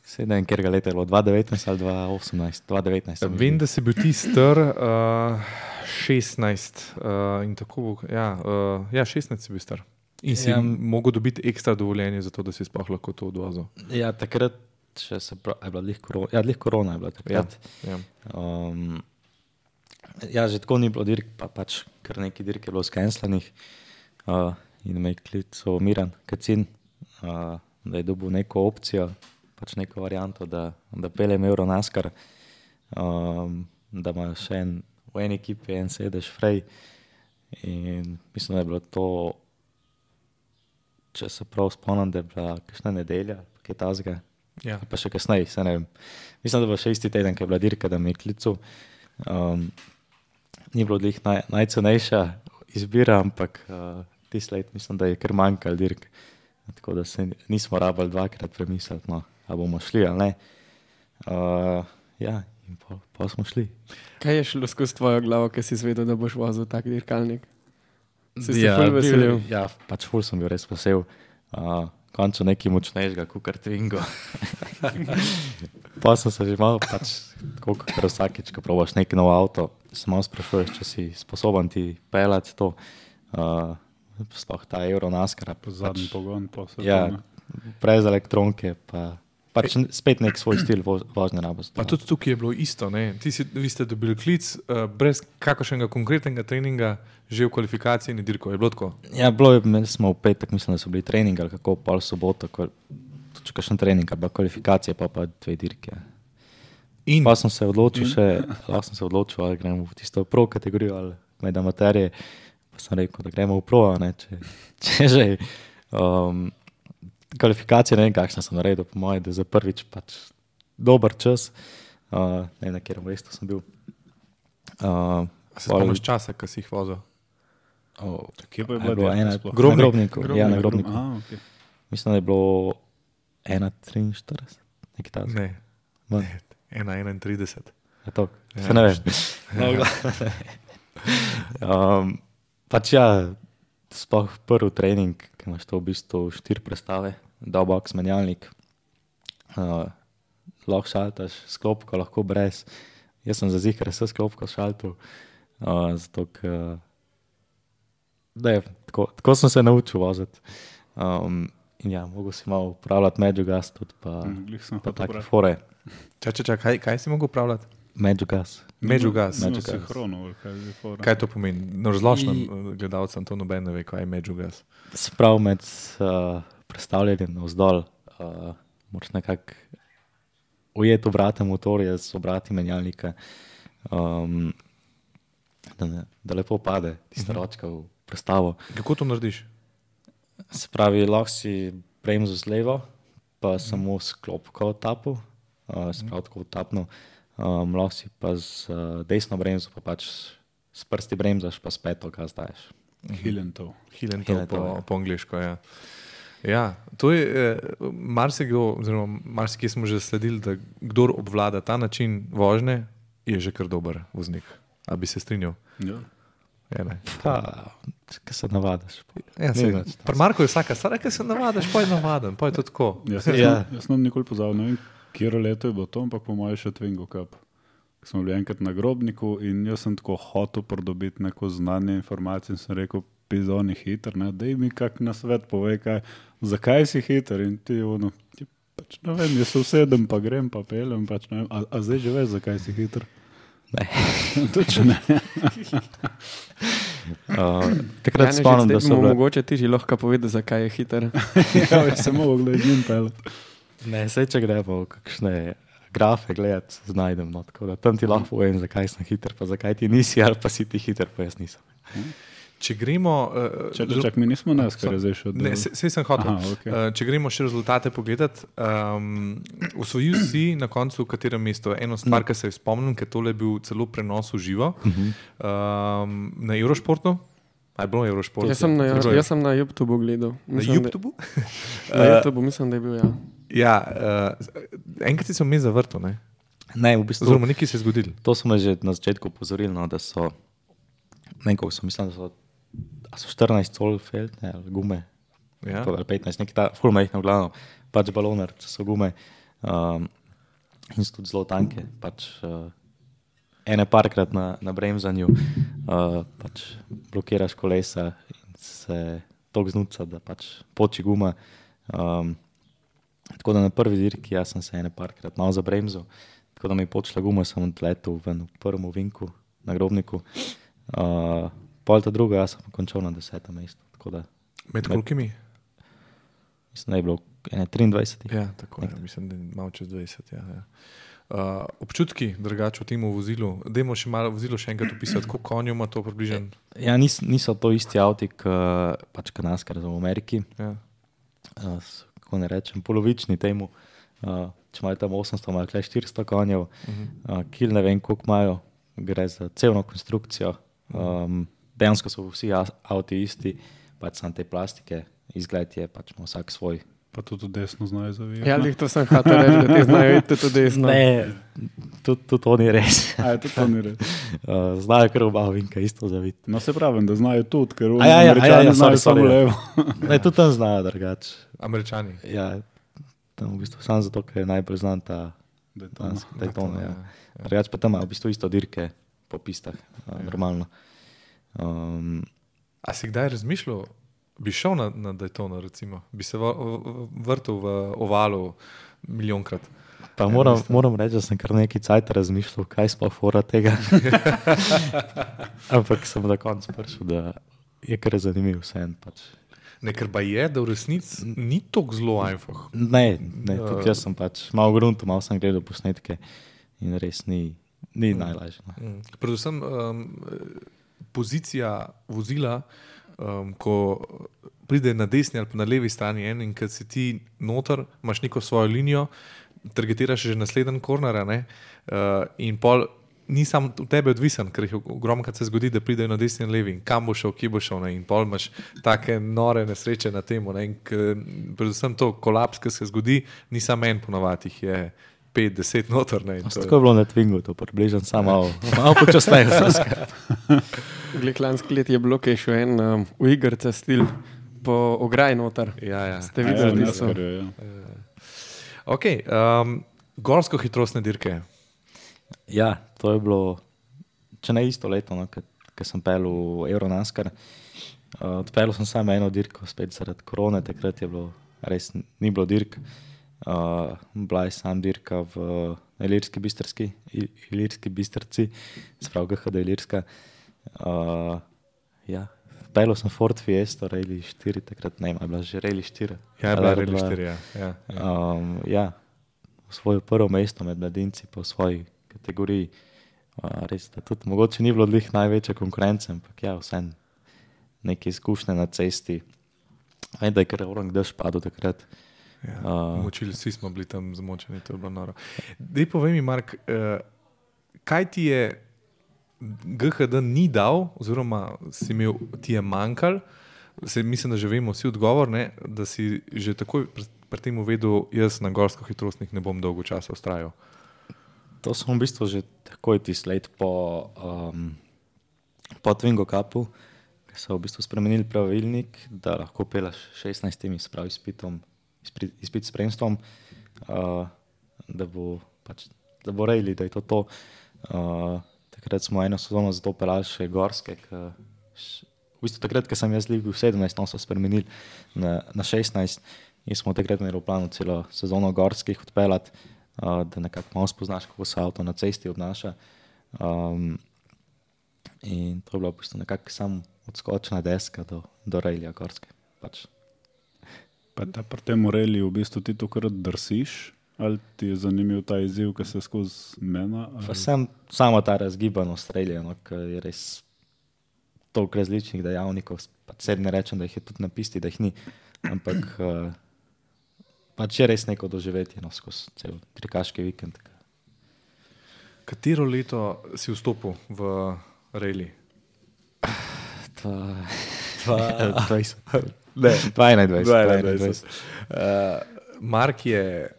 Speaker 4: sedem, ker ga leta je bilo dva devetnajst ali dva osemnajst, dva devetnajst.
Speaker 1: Vem, da si bil ti star uh, šestnajst uh, in tako, ja, uh, ja, šestnajst si bil star. In si ja.
Speaker 4: Ja.
Speaker 1: mogel dobiti ekstra dovoljenje za to, da si sploh lahko to odvozil.
Speaker 4: Ja, takrat še se pravi, je bila lih korona, ja, lih korona je bila takrat.
Speaker 1: Ja.
Speaker 4: Um, ja, že tako ni bilo dirk, pa pač kar nekaj dirk je bilo skenslanih uh, in me je klical Miran Kacin, uh, da je dobil neko opcijo, pač neko varianto, da, da peljem Euro NASCAR, um, da ima še en, v eni ekipi en sedež frej in mislim, da je bilo to, če se prav spomnim, da je bila kakšna nedelja, kaj tazga,
Speaker 1: Ja.
Speaker 4: pa še kasneje, se ne vem. Mislim, da je bilo še isti teden, ko je bila dirka, da me je klical. Um, ni bilo glih naj, najcenejša izbira, ampak uh, tisti let mislim, da je kar manjkal dirk. Tako da se nismo rabili dvakrat premisliti, no, ali bomo šli ali ne. Uh, ja, in pol, pol smo šli.
Speaker 3: Kaj je šlo skozi tvojo glavo, ki si izvedel, da boš vozil tak dirkalnik? Si se
Speaker 4: Ja,
Speaker 3: ful veselil?
Speaker 4: bil- Ja, pač ful sem bil res vesel. Uh, končno nekaj močnejšega, kot kar Twingo. Pa sem se že malo, pač, tako kot vsakeč, ko probaš neki nov avto, se malo sprašuješ, če si sposoben ti pelati to. Uh, sploh ta Euro NASCAR.
Speaker 2: zadnji pogon, pa se
Speaker 4: Ja, brez elektronke, pa pač spet nek svoj stil vo, vožnje rabost.
Speaker 1: Pa tudi tukaj je bilo isto. Ne? Ti si, vi ste dobili klic uh, brez kakršnega konkretnega treninga, že v kvalifikaciji in dirko. Je bilo tako?
Speaker 4: Ja, bilo je, imeli smo v petek, mislim, da so bili treningi ali kako, pol soboto, ko, tudi kakšen trening, pa kvalifikacije, pa pa dve dirke.
Speaker 1: In
Speaker 4: Pa sem se odločil še, lahko sem se odločil, ali gremo v tisto pro kategorijo ali med amaterje. Pa sem rekel, da gremo v pro, a ne, če, če že. Um, kvalifikacije, ne vem, kakšna sem naredil, po moje, da za prvič pač dober čas. Uh, ne vem, na kjer mestu sem bil. Uh,
Speaker 1: A se spomniš časa, ki si jih vozil?
Speaker 4: oh,
Speaker 2: Kje pa je
Speaker 4: je
Speaker 2: bila
Speaker 4: bilo
Speaker 2: dirka
Speaker 4: ena,
Speaker 2: sploh?
Speaker 4: Grobnik, na Grobniku,
Speaker 3: Grobnik,
Speaker 4: ja, na Grobniku.
Speaker 2: Aha, okay.
Speaker 4: Mislim, da je bilo ena triinštirideset, nekaj takega.
Speaker 1: Ne,
Speaker 4: Manj.
Speaker 1: ena enaintrideset.
Speaker 4: Je to,
Speaker 1: Ja.
Speaker 4: se ne vem. No, um, pač ja, sploh prvi trening, ki imaš to v bistvu štiri prestave, dobox, menjalnik, uh, lahko šaltaš s klopko, lahko brez. Jaz sem za zihar s klopko šaltal, uh, zato ker ne, tako, tako sem se naučil voziti. Um, in ja, mogo si malo upravljati Magic Gas tudi, pa,
Speaker 2: Mm,
Speaker 4: pa take fore.
Speaker 1: Čak, čak, čak, kaj, kaj si mogel upravljati?
Speaker 4: Magic Gas.
Speaker 1: Magic Gas.
Speaker 2: No,
Speaker 4: Magic Gas.
Speaker 2: sinhrono, kaj je fora.
Speaker 1: Kaj to pomeni? No, razložno
Speaker 4: I-
Speaker 1: gledalcem to noben ne ve, kaj je Magic Gas.
Speaker 4: Se pravi med uh, predstavljanjem navzdol, uh, moraš nekako ujeti obrate motorja z obrati menjalnika, um, da, ne, da lepo pade tista
Speaker 1: Mhm.
Speaker 4: ročka v prestavo.
Speaker 1: Kako to narediš?
Speaker 4: Se pravi, lahko si bremzo z levo, pa samo s klopko tapu, uh, se pravi tako tapno, um, lahko si pa z uh, desno bremzo, pa pač s prsti bremzaš, pa s peto gas daješ.
Speaker 2: Hilentov.
Speaker 1: Hilentov
Speaker 4: Hilentov,
Speaker 1: po,
Speaker 4: ja.
Speaker 1: po angliško, ja. Ja, to je, eh, marsikdo, oziroma marsikje smo že sledili, da kdor obvlada ta način vožnje, je že kar dober voznik. A bi se strinjal?
Speaker 2: Ja.
Speaker 1: Ja, ne.
Speaker 4: Pa, ki se navadiš.
Speaker 1: Ja,
Speaker 4: Ni
Speaker 1: se,
Speaker 4: več to.
Speaker 1: pri Marku je vsaka stvar, ki se navadiš, pa je navaden, pa je to tako.
Speaker 2: Jaz, jaz,
Speaker 4: Ja.
Speaker 2: ja. jaz sem nikoli pozabil, ne vem, kjero leto je bilo to, ampak po mojem še Twingo Cup. Ko smo bili enkrat na Grobniku in jaz sem tako hotel pridobiti neko znanje, informacije in sem rekel, pizoni hiter, ne, daj mi kak na svet povej, kaj, zakaj si hiter in ti ono, ti pač ne vem, jaz se usedem pa grem pa pelem, pač ne vem, a, a zdaj že veš, zakaj si hiter?
Speaker 4: Ne.
Speaker 2: Tudi če ne.
Speaker 4: Uh, takrat
Speaker 3: Janež,
Speaker 4: spomnim, da
Speaker 3: zdaj
Speaker 4: so
Speaker 3: bomo
Speaker 4: bile...
Speaker 3: mogoče ti že lahko povedati, zakaj je hiter.
Speaker 2: Ja, jaz sem mogel gledati njim pelati.
Speaker 4: Ne, saj če gremo v kakšne grafe gledati, znajdem. No, tako da tam ti lahko povem, zakaj sem hiter, pa zakaj ti nisi, ali pa si ti hiter, pa jaz nisem.
Speaker 1: Če gremo... Uh,
Speaker 2: Čak, čak, mi nismo nas, kar je zdaj še
Speaker 1: Ne,
Speaker 2: oddelal.
Speaker 1: se, se sem hotel.
Speaker 2: Aha, okej.
Speaker 1: Uh, če gremo še rezultate pogledati, um, osvojil si na koncu v katerem mestu? Eno stvar, ki se je spomnim, ker tole je bil celo prenos v živo um, na Eurošportu. A je bilo na Eurošportu?
Speaker 3: Jaz sem na,
Speaker 1: Bilo je.
Speaker 3: jaz sem na YouTubeu gledal.
Speaker 1: Na
Speaker 3: Mislim,
Speaker 1: YouTubeu?
Speaker 3: Da, na YouTubeu mislim, da je bil, ja.
Speaker 1: Ja, uh, enkrat si se vmes zavrtel, ne?
Speaker 4: Ne, v bistvu,
Speaker 1: Oziroma, nekaj se je zgodilo.
Speaker 4: to so me že na začetku upozorili, no, da so, ne vem, koliko so, mislim, da so, a so štirinajst col feltne ali gume,
Speaker 1: Ja.
Speaker 4: ali petnajst, nekaj ta, ful majhno, v glavno, pač baloner, če so gume, um, in so tudi zelo tanke, pač uh, ene parkrat na, na bremzanju, uh, pač blokiraš kolesa in se tok znuca, da pač poči guma. Um, tako da na prvi dirki jaz sem se ene parkrat malo zabremzal, tako da mi je počela guma, sem odletel ven v prvem ovinku na Grobniku. Uh, pol ta druga, jaz sem končal na desetem mestu, tako da
Speaker 1: Med kolikimi?
Speaker 4: mislim, da je bilo ene triindvajset.
Speaker 1: Ja, tako je. Mislim, da je malo čez dvajset. Ja, ja. Uh, občutki drugače v tem vozilu. Dajmo še malo vozilo še enkrat opisati, koliko konjev ima to približno.
Speaker 4: Ja, nis, niso to isti avti, kot pač kanadskar v Ameriki.
Speaker 1: Ja.
Speaker 4: Uh, so, kako ne rečem, polovični temu. Uh, če imajo tam osemsto, imajo tukaj štiristo konjev, uh, kil ne vem, koliko imajo, gre za celno konstrukcijo. Um, dejansko so vsi a- avti isti, pač samo te plastike, izgled je pač ima vsak svoj.
Speaker 2: Pa tudi desno znajo zavijati.
Speaker 3: Ja, lih to sem hotel reči, da ti znajo iti tudi desno.
Speaker 4: Ne, tudi tud to ni res.
Speaker 2: A je tudi to ni res.
Speaker 4: Uh, znajo kar oba vinka isto zaviti.
Speaker 2: No se pravim, da znajo tudi, ker
Speaker 4: A ja, ja,
Speaker 2: Američani
Speaker 4: a ja, ja,
Speaker 2: znajo
Speaker 4: sorry, sorry,
Speaker 2: samo
Speaker 4: ja.
Speaker 2: levo.
Speaker 4: Ne, tudi tam znajo drugače.
Speaker 1: Američani.
Speaker 4: Ja, tam v bistvu samo zato, ker je najbolj znan ta
Speaker 2: Daytona.
Speaker 4: Daytona. Ja.
Speaker 1: ja.
Speaker 4: Drugače pa tam imajo v bistvu isto dirke po pistah, uh, normalno. Um,
Speaker 1: A si kdaj razmišljal, bi šel na, na Daytona, recimo? Bi se v, v, vrtel v ovalu milijonkrat?
Speaker 4: pa moram, moram reči, da sem kar nekaj cajt razmišljal, kaj sploh fora tega. Ampak sem na koncu prišel, da je kar zanimiv vseeno. Pač.
Speaker 1: Ne, ker pa je, da v resnici ni tako zelo einfach.
Speaker 4: Ne, ne, tudi jaz sem pač malo grunto, malo sem gledal posnetke in res ni, ni najlažje. No.
Speaker 1: Mm. Predvsem um, pozicija vozila, um, ko pride na desni ali pa na levi strani en in kad si ti noter, imaš neko svojo linijo, targetiraš že naslednji korner, uh, in pol ni sam v tebi odvisen, ker jih ogromno se zgodi, da pridejo na desni in levi in kam bo šel, kje bo šel, ne? In pol imaš take nore nesreče na temu. Ne? In k, predvsem to kolaps, ki se zgodi, ni samo en ponovati, jih je pet, deset noter. Ne? In to
Speaker 4: Tako je bilo na Twingu, to približno samo malo, malo počasneje.
Speaker 3: Glej, lansko let je bilo, kaj še en um, v igrce stil po ograji noter.
Speaker 1: Ja, ja.
Speaker 3: Ste
Speaker 2: Ja,
Speaker 3: videli,
Speaker 2: ja,
Speaker 3: tisto?
Speaker 2: NASCAR je, ja.
Speaker 1: Okay, um, Gorsko hitrostne dirke.
Speaker 4: Ja, to je bilo, če ne isto leto, no, ko sem pel v Euronaskar. Uh, odpeljal sem samo eno dirko, spet zaradi korone, takrat je bilo, res ni bilo dirk. Uh, bila je sam dirka v Ilirski Bistrci, Ilirski Bistrci, sprav G H D Ilirska. Uh, ja, odpeljal sem Ford Fiesta, Rally štiri, takrat ne, je bila že Rally štiri.
Speaker 1: Ja, je bila Rally štiri, ja. Ja, ja.
Speaker 4: Um, ja, v svojo prvo mesto med mladinci po svoji kategoriji. Uh, res, da tudi mogoče ni bilo odlih največje konkurence, ampak ja, vsem neke izkušnje na cesti. Vem, da je kar orang dež padel takrat.
Speaker 1: Ja,
Speaker 4: Uh,
Speaker 1: močili, vsi smo bili tam zmočeni, to je bilo noro. Dej povej mi, Mark, uh, kaj ti je G H D ni dal, oziroma si imel, ti je manjkal, se, mislim, da že vemo vsi odgovor, ne, da si že takoj pri, pri tem uvedel, jaz na gorsko hitrostnih ne bom dolgo časa ustrajal.
Speaker 4: To sem v bistvu že takoj tisti let po, um, po Twingo Cupu, ki so v bistvu spremenili pravilnik, da lahko pelaš šestnajstimi s prav izpitom, izpit, izpit s spremstvom, uh, da bo pač, da bo rejli, da je to to. Uh, takrat smo eno sezono zato pelali še gorske, k, š, v bistvu takrat, ko sem jaz bil sedemnajst, no so spremenili na, na šestnajst in smo takrat imeli v planu celo sezono gorskih odpeljati, uh, da nekako malo spoznaš, kako se avto na cesti obnaša. Um, in to je bilo v bistvu nekako sam odskočna deska do, do rejlja gorske. Pač.
Speaker 2: Pa da pri tem rejlju v bistvu ti to kar drsiš? Ali ti je zanimiv ta izziv, ki se skozi mena? Ali...
Speaker 4: Sem samo ta razgibanost rejlja, no, ker je res toliko različnih dejavnikov. Pač sedaj ne rečem, da jih je tudi na pisti, da jih ni, ampak uh, pač je res neko doživetje, no, skozi cel trikaški vikend.
Speaker 1: Katero leto si vstopil v rejli?
Speaker 4: dvaindvajset.
Speaker 1: Mark je,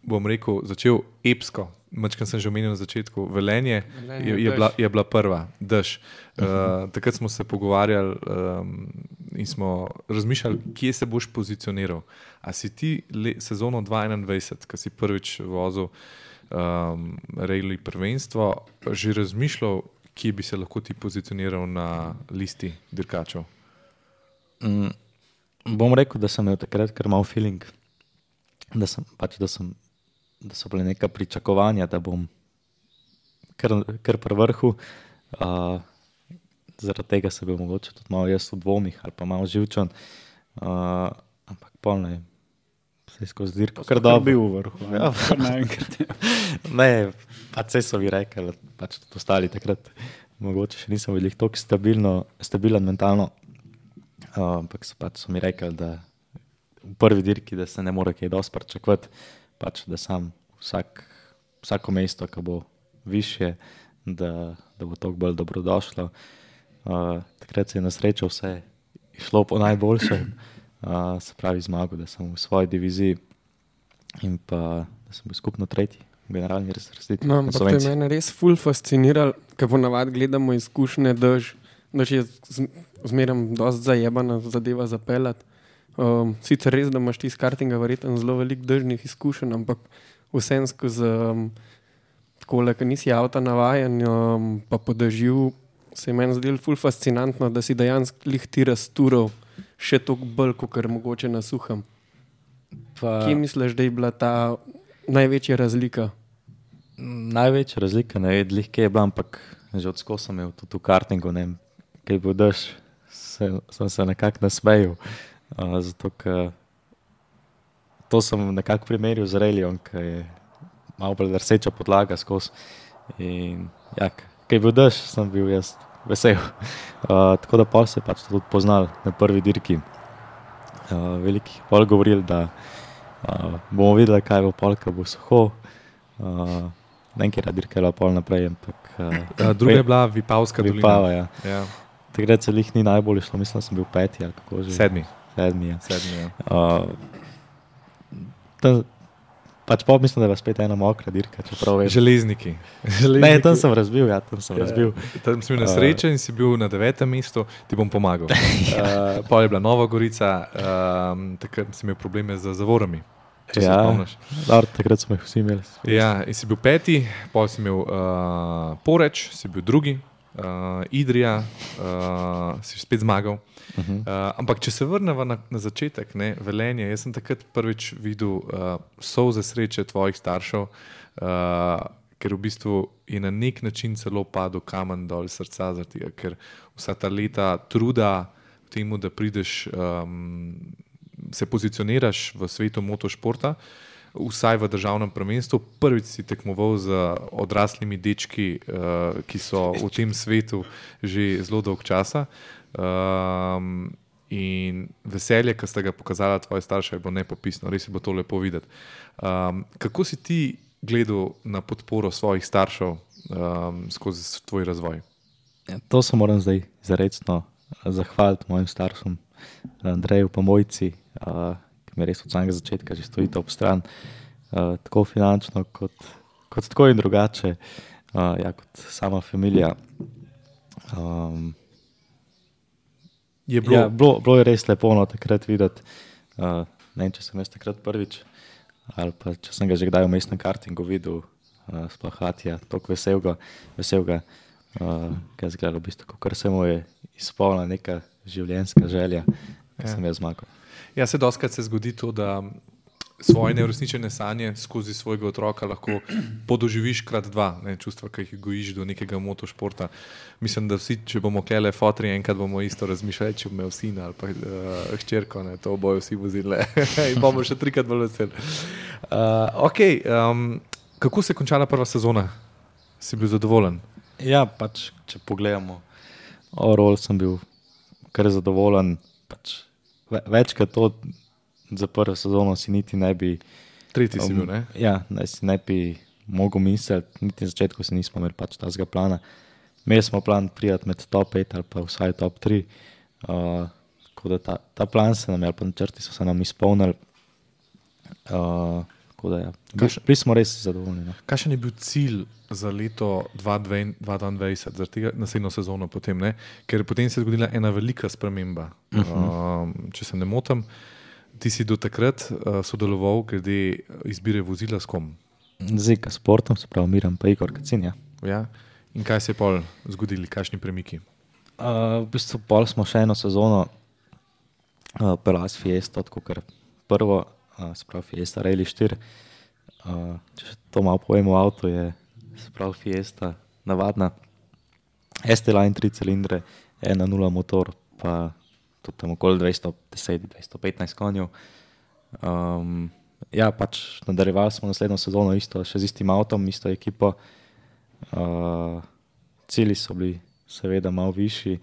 Speaker 1: bom rekel, začel epsko. Mačkam sem že omenil na začetku. Velenje, Velenje je, je, bila, je bila prva, dež. Uh, takrat smo se pogovarjali um, in smo razmišljali, kje se boš pozicioniral. A si ti le, sezono dvaindvajset, ko si prvič vozil um, rejli prvenstvo, že razmišljal, kje bi se lahko ti pozicioniral na listi dirkačev?
Speaker 4: Mm, bom rekel, da sem imel takrat kar mal feeling, da, sem, pač, da, sem, da so bile neka pričakovanja, da bom kar, kar pri vrhu. Uh, zaradi tega se bil mogoče tudi malo jaz v dvomih ali pa malo živčen. Uh, ampak pol ne, se je skozi dirko kar dobro.
Speaker 2: Bil v vrhu.
Speaker 4: Ja,
Speaker 2: kar naenkrat.
Speaker 4: Ne, pa se so vi rekli, pač tudi ostali takrat. Mogoče še nisem bil toliko stabilno, stabilen mentalno. Uh, ampak so, pač so mi rekli, da v prvi dirki, da se ne more kaj dosti pričakovati, pač da sam vsak, vsako mesto, ki bo višje, da, da bo toliko bolj dobrodošlo. Uh, takrat se je na srečo vse išlo po najboljšem, uh, se pravi zmago, da sem v svoji diviziji in pa da sem bil skupno tretji v generalni razvrstitvi.
Speaker 3: No, ampak to je mene res ful fasciniralo, ker ponavadi gledamo izkušnje, daž, daž je zmeram dosti zajebana zadeva zapeljati. Um, sicer res, da imaš ti iz kartinga verjetno zelo veliko dežnih izkušenj, ampak vsem skozi um, takole, ker nisi avta navajen, um, pa po dežju, se je meni zdelo ful fascinantno, da si dejansko lih ti raztural še toliko bolj, kot mogoče na suhem.
Speaker 4: Pa...
Speaker 3: Kje misliš, da je bila ta največja razlika?
Speaker 4: Največja razlika, ne vem, lih kje je bila, ampak že odsko sem imel tudi v kartingu, ne vem, kaj bo dež, se, sem se nekako nasmejal. Uh, zato, ker to sem nekako primerjal z rejlijom, ki je malo bolj drseča podlaga skozi. In ja, kaj bil dež, sem bil jaz vesel. Uh, tako da pol se je pač tudi poznal na prvi dirki. Uh, velikih pol govorili, da uh, bomo videli, kaj bo pol, ko bo suho. Uh, Nekaj dirka je bila pol naprej, ampak... Uh,
Speaker 1: ja, druga je bila Vipavska dolina.
Speaker 4: Vipava, ja.
Speaker 1: Ja.
Speaker 4: Takrat se lih ni najbolj šlo, mislim, da sem bil peti ali kako že.
Speaker 1: Sedmi.
Speaker 4: Sedmi, ja.
Speaker 1: Sedmi, ja.
Speaker 4: Uh, ta, pač pa mislim, da je spet ena mokra dirka, čeprav veš.
Speaker 1: Železniki.
Speaker 4: Železniki. Ne, tam sem razbil, ja, tam sem ja, razbil.
Speaker 1: Tam si bil na srečo in si bil na devetem mestu, ti bom pomagal. uh, pol je bila Nova Gorica, um, takrat si imel probleme z zavorami. če se
Speaker 4: Ja,
Speaker 1: spomniš.
Speaker 4: dobro, takrat smo jih vsi imeli.
Speaker 1: Ja, in si bil peti, pol si imel uh, Poreč, si bil drugi, uh, Idrija, uh, si spet zmagal. Uh -huh. uh, ampak če se vrnemo na, na začetek, ne, Velenje, jaz sem takrat prvič videl uh, solze sreče tvojih staršev, uh, ker v bistvu je na nek način celo padel kamen dol srca, zaradi tega, ker vsa ta leta truda v temu, da prideš, um, se pozicioniraš v svetu motošporta, vsaj v državnem prvenstvu. Prvič si tekmoval z odraslimi dečki, uh, ki so v tem svetu že zelo dolg časa. Um, in veselje, ki ste ga pokazali tvoje starše, je bilo nepopisno, res je bilo to lepo videti. Um, kako si ti gledal na podporo svojih staršev um, skozi tvoj razvoj?
Speaker 4: Ja, to se moram zdaj zarecno zahvaliti mojim staršem, Andreju pa Mojci, uh, ki mi res od samega začetka že stojite ob stran, uh, tako finančno kot, kot tako in drugače, uh, ja, kot sama familija. Um,
Speaker 1: Je bilo...
Speaker 4: Ja, bilo, bilo je res lepo no, takrat videti, uh, ne vem, če sem jaz takrat prvič, ali pa če sem ga že kdaj v mestnem kartingu videl, uh, sploh Hatija, toliko veselga, veselga uh, kaj zgleda v bistvu, kakor se mu je izpolnila neka življenjska želja, ki sem jaz zmagal.
Speaker 1: Ja, se dostakrat se zgodi to, da svoje neuresničene sanje skozi svojega otroka lahko podoživiš krat dva, ne, čustva, ki jih gojiš do nekega motošporta. Mislim, da vsi, če bomo klele fotri, enkrat bomo isto razmišljali, če bomo imel sina ali pa uh, hčerko, ne, to bojo vsi vozili in bomo še trikrat bolj veseli. Uh, ok, um, kako se je končala prva sezona? Si bil zadovoljen?
Speaker 4: Ja, pač, če pogledamo, overall sem bil kar zadovoljen, pač večkrat to za prvo sezono si niti ne bi...
Speaker 1: Tretji si bil, ne?
Speaker 4: Um, ja, ne, si ne bi mogel misliti, niti na začetku si nismo imeli pač tazga plana. Imeli smo plan prijati med top pet ali pa vsaj top tri, uh, tako da ta, ta plan se nam je, ali pa načrti so se nam izpolnili, uh, tako da ja, bili smo res zadovoljni. No.
Speaker 1: Kakšen je bil cilj za leto dva tisoč dvaindvajset, za tega naslednjo sezono potem, ne? Ker potem se je zgodila ena velika sprememba, uh -huh. um, če se ne motim. Ti si do takrat uh, sodeloval glede izbire vozila s kom?
Speaker 4: Z Sportom, se pravi Miran pa Igor Kacin, ja.
Speaker 1: Ja. In kaj se je pol zgodili, kakšni premiki?
Speaker 4: Uh, v bistvu pol smo še eno sezono uh, pelali s Fiesto, tako kar prvo, uh, se pravi Fiesta Rally štiri. Uh, če še to malo povemo o avtu, je se pravi Fiesta navadna S T-Line tri cilindre, ena nula motor, pa tudi tam okoli dvesto deset do dvesto petnajst konjev. Um, ja, pač nadaljevali smo naslednjo sezono isto, še z istim avtom, isto ekipo. Uh, cilji so bili seveda malo višji.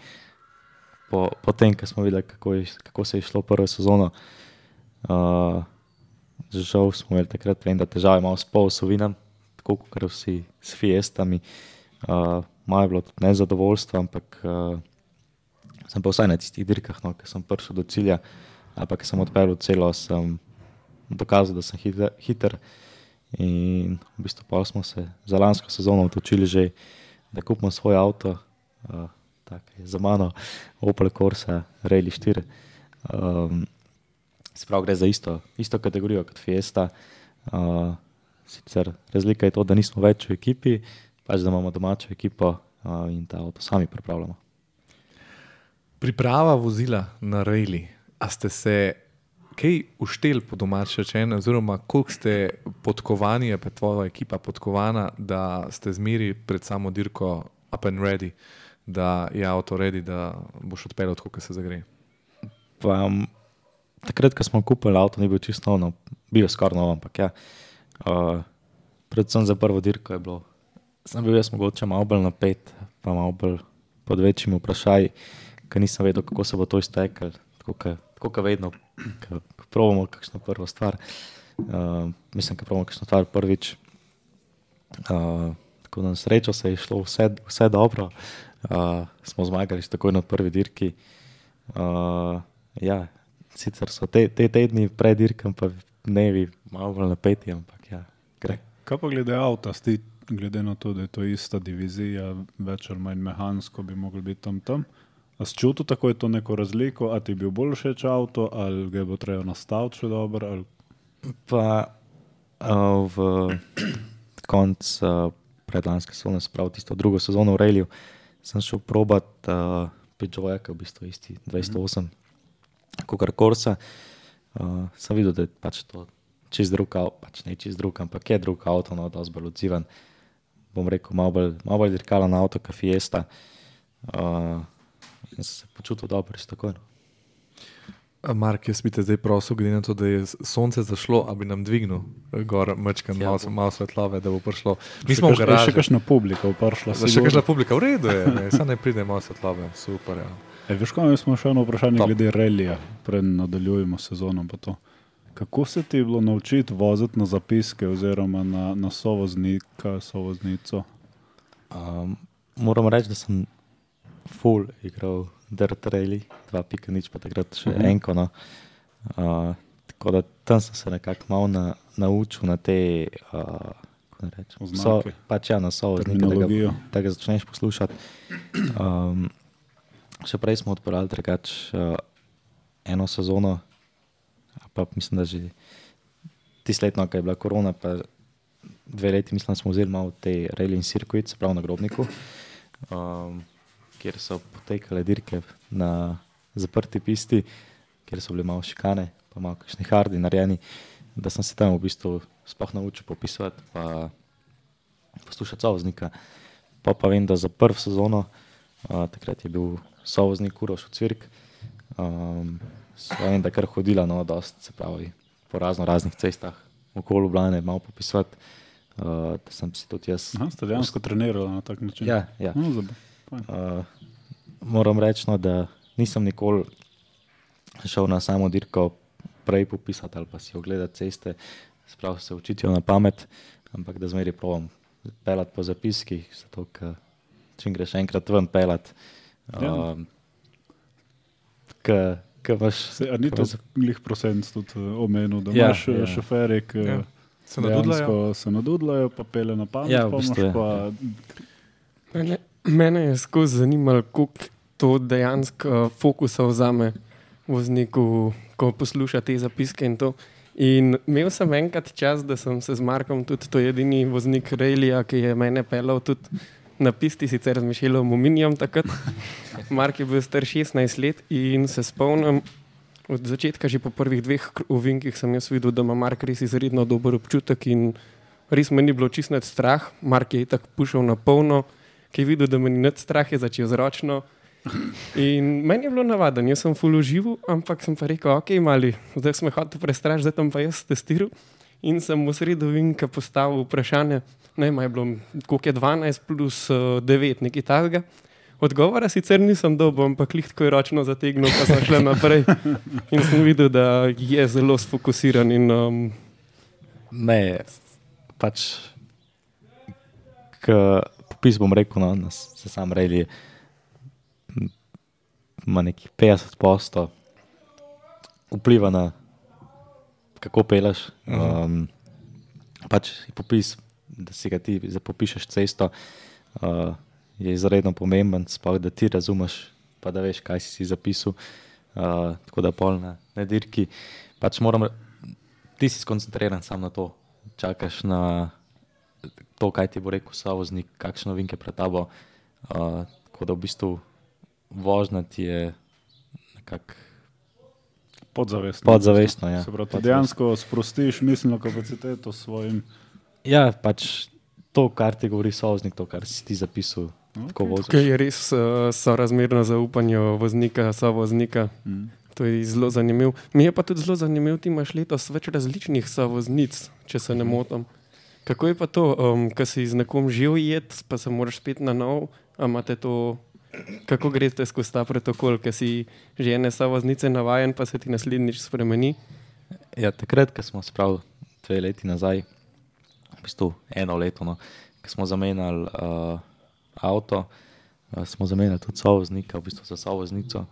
Speaker 4: Po, po tem, ko smo videli, kako, je, kako se je šlo prvo sezono, uh, žal smo imeli takrat vem, da težave malo s polosovinami, tako kot vsi s Fiestami. Uh, malo je bilo tudi nezadovoljstvo, ampak uh, sem pa vsaj na tistih dirkah, no, ko sem prišel do cilja, ali pa ko sem odpeljal celo, sem dokazal, da sem hiter, hiter. In v bistvu pa smo se za lansko sezono odločili že, da kupimo svoj avto, uh, tak je za mano Opel Corsa Rally štiri. Um, Sprav gre za isto, isto kategorijo kot Fiesta. Uh, sicer razlika je to, da nismo več v ekipi, pač da imamo domačo ekipo uh, in ta avto sami pripravljamo.
Speaker 1: Priprava vozila na rally, a ste se kaj ušteli po domače rečeno, oziroma koliko ste podkovani, pa tvoja ekipa podkovana, da ste zmeri pred samo dirko up and ready, da je avto ready, da boš odpeljal tako, kot se zagre?
Speaker 4: Pa, um, takrat, ko smo kupili avto, ni bil čisto nov, bil je skoraj nov, ampak ja, uh, predvsem za prvo dirko je bilo, sem bil jaz mogoče malo bolj napet, pa malo bolj pod večjimi vprašaji, ker nisem vedel, kako se bo to iztekalo, tako kot vedno, ko probamo kakšno prvo stvar. Uh, mislim, ko probamo kakšno stvar prvič. Uh, tako na srečo se je šlo vse, vse dobro. Uh, smo zmagali takoj na prvi dirki. Uh, ja, sicer so te, te tedni pred dirkem pa dnevi malo bolj napeti, ampak ja, gre.
Speaker 2: Kaj pa glede avta, sti, glede na to, da je to ista divizija, več ali manj mehansko bi mogli biti tam tam. A si čutil tako je to neko razliko, a ti je bil bolj všeč avto, ali ga bo treba nastaviti še dobro? Ali...
Speaker 4: Pa uh, v konc uh, predlanske sezone, se pravi tisto drugo sezono v Railiju, sem šel probat uh, Peugeota, ki je v bistvu isti dvesto osem, kakor Corsa. Uh, sem videl, da je pač to čist drug avto, pač ne čist drug, ampak je drug avto, no, dosti bolj odziven. Bom rekel, malo bolj, malo bolj dirkalen avto, kot Fiesta. Uh, in sem se počutil dobro, res takoj.
Speaker 1: Mark, jaz bi te zdaj prosil, glede na to, da je sonce zašlo, a bi nam dvignil gor mečkan,
Speaker 4: Ja,
Speaker 1: malo,
Speaker 4: bom.
Speaker 1: malo svetlove, da bo prišlo. Mi
Speaker 2: Še
Speaker 1: smo v
Speaker 2: kaš-
Speaker 1: garaži.
Speaker 2: Še kakšna publika prišla.
Speaker 1: Za še kakšna publika, v redu je, ne, samo ne pride malo svetlove, super, ja.
Speaker 2: E, veš, kaj smo še eno vprašanje
Speaker 1: Top.
Speaker 2: glede relija, preden nadaljujemo sezono. Pa to. Kako se ti je bilo naučiti voziti na zapiske oziroma na, na sovoznika, sovoznico?
Speaker 4: Um, moram reči, da sem full igral Dirt Rally, dva pika nič, pa takrat še
Speaker 2: Mhm.
Speaker 4: enko. No. Uh, tako da tam sem se nekako malo na, naučil na te, uh, kako naj rečem, so,
Speaker 2: Oznake.
Speaker 4: pač ja, na sovoznika, da ga,
Speaker 2: Terminologijo.
Speaker 4: da ga začneš poslušati. Um, še prej smo odpeljali drugač uh, eno sezono, pa mislim, da že tisto letno, ko je bila korona, pa dve leti, mislim, smo vzeli malo te railing circuit, se pravi na Grobniku, um, kjer so potekale dirke na zaprti pisti, kjer so bile malo šikane, pa malo kakšni hardi narejeni, da sem se tam v bistvu sploh naučil popisovati pa poslušati sovoznika. Pa pa vem, da za prvo sezono, uh, takrat je bil sovoznik Uroš v Cirk, um, so vem, da kar hodila, no, dost, se pravi, po razno raznih cestah okoli Ljubljane malo popisovati, uh, da sem si tudi jaz.
Speaker 2: Aha, ste dejansko trenirali na tak način?
Speaker 4: Ja, ja.
Speaker 2: No, zab- fajn.
Speaker 4: Uh, moram reči, no, da nisem nikoli šel na samo dirko prej popisati ali pa si ogledati ceste, sprav se učitijo na pamet, ampak da zmeri provam pelati po zapiskih, zato ker čim greš enkrat ven pelati,
Speaker 2: Ja.
Speaker 4: um, ke, ke imaš...
Speaker 2: Se, a ni to
Speaker 4: ke-
Speaker 2: glih procent tudi uh, omenil, da
Speaker 4: Ja,
Speaker 2: imaš ja,
Speaker 4: ja.
Speaker 2: šoferje, ki
Speaker 1: Ja. Se nadudlajo.
Speaker 2: dejansko se nadudlajo, pa pele na pamet,
Speaker 4: Ja, v
Speaker 2: pa
Speaker 4: bistvu
Speaker 2: imaš
Speaker 4: je,
Speaker 2: pa
Speaker 3: Mene, mene je skozi zanimalo, koliko to dejansko fokusa vzame vozniku, ko posluša te zapiske in to. In imel sem enkrat čas, da sem se z Markom, tudi to je edini voznik Railija, ki je mene pelal tudi na pisti, sicer z Mišelom Ominijem takrat. Mark je bil star šestnajst let in se spomnim, od začetka, že po prvih dveh kr- ovinkih sem jaz videl, da ima Mark res izredno dober občutek in res me ni bilo čisto nič strah. Mark je tako pušal na polno, ki je videl, da me ni nič strah, je začel zročno. In meni je bilo navaden, jaz sem full užival, ampak sem pa rekel, ok, mali, zdaj sem hotel prestrašiti, zdaj tam pa jaz testiral. In sem v sredo vinka postavil vprašanje, ne, ima je bilo, koliko je dvanajst plus uh, devet, nekaj takega. Odgovora sicer nisem dobil, ampak lih tako je ročno zategnil, pa sem šel naprej. In sem videl, da je zelo sfokusiran in um,
Speaker 4: Ne, pač, k popis bom rekel, no, na s- se sam rejli ima nekih petdeset posto vpliva na kako peleš. Um, pač je popis, da si ga ti zapopišeš cesto, uh, je izredno pomemben, sploh da ti razumeš, pa da veš, kaj si si zapisal. Uh, tako da pol na, na dirki. Pač moram, re- ti si skoncentriran sam na to, čakaš na to, kaj ti bo rekel sovoznik, kakšne novinke pred tabo. Uh, tako da v bistvu vožnja ti je nekako
Speaker 2: podzavestno.
Speaker 4: podzavestno. Ja.
Speaker 2: Se pravi, ti
Speaker 4: Podzavestno.
Speaker 2: dejansko sprostiš miselno kapaciteto s svojim.
Speaker 4: Ja, pač to, kar ti govori sovoznik, to, kar si ti zapisal, okay. tako voziš.
Speaker 3: tukaj je res uh, sorazmerno zaupanje voznika, sovoznika.
Speaker 2: Mm.
Speaker 3: To je zelo zanimivo. Mi je pa tudi zelo zanimivo, ti imaš letos več različnih sovoznic, če se ne motim. Kako je pa to, um, ko si z nekom že ujet, pa se moraš spet na nov, a imate to, kako greste skozi ta protokol, ker si že ene sovoznice navajen, pa se ti naslednjič spremeni?
Speaker 4: Ja, takrat, ko smo spravili dve leti nazaj, v bistvu eno leto, no, ko smo zamenjali uh, avto, uh, smo zamenjali tudi sovoznika, v bistvu za sovoznico.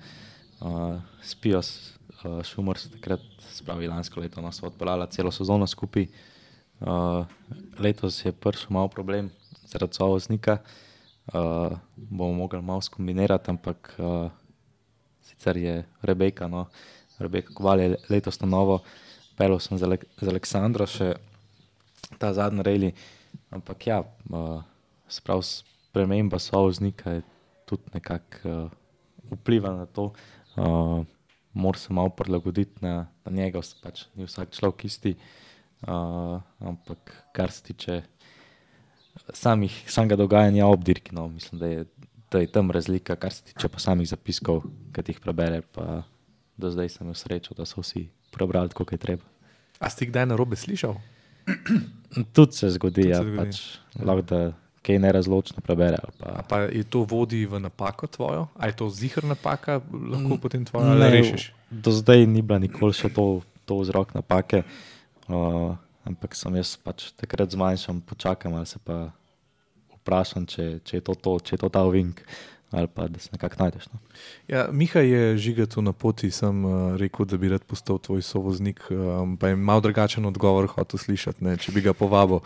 Speaker 4: Uh, Spijo uh, Šumor se takrat, spravi lansko leto, no, so odpeljala celo sezono skupaj. Uh, letos je prišel malo problem zaradi sovoznika, uh, bomo mogli malo skombinirati, ampak uh, sicer je Rebeka, no, Rebeka Koval je letos na novo pelil sem z, Alek z Aleksandro še ta zadnji rally, ampak ja, uh, sprav sprememba sovoznika je tudi nekako uh, vpliva na to. Uh, Mora se malo prilagoditi na, na njega, pač ni vsak človek isti, uh, ampak kar se tiče samih, samega dogajanja ob dirki, no, mislim, da je, da je tam razlika, kar se tiče pa samih zapiskov, ki jih prebere, pa do zdaj sem imel srečo, da so vsi prebrali, koliko je treba.
Speaker 1: A si kdaj narobe slišal?
Speaker 4: Tudi se zgodi,
Speaker 1: Tudi
Speaker 4: ja,
Speaker 1: se zgodi.
Speaker 4: pač lahko da kaj nerazločno prebere. Pa.
Speaker 1: A pa je to vodi v napako tvojo? A je to ziher napaka, lahko potem tvoja
Speaker 4: Ne,
Speaker 1: rešiš?
Speaker 4: Do zdaj ni bila nikoli še to, to vzrok napake, uh, ampak sem jaz pač takrat zmanjšam, počakam ali se pa vprašam, če, če, je to to, če je to ta ovink ali pa da se nekako najdeš. No.
Speaker 1: Ja, Miha je Žigatu na poti, sem uh, rekel, da bi rad postal tvoj sovoznik, um, pa je malo drugačen odgovor hotel slišati, ne, če bi ga povabil.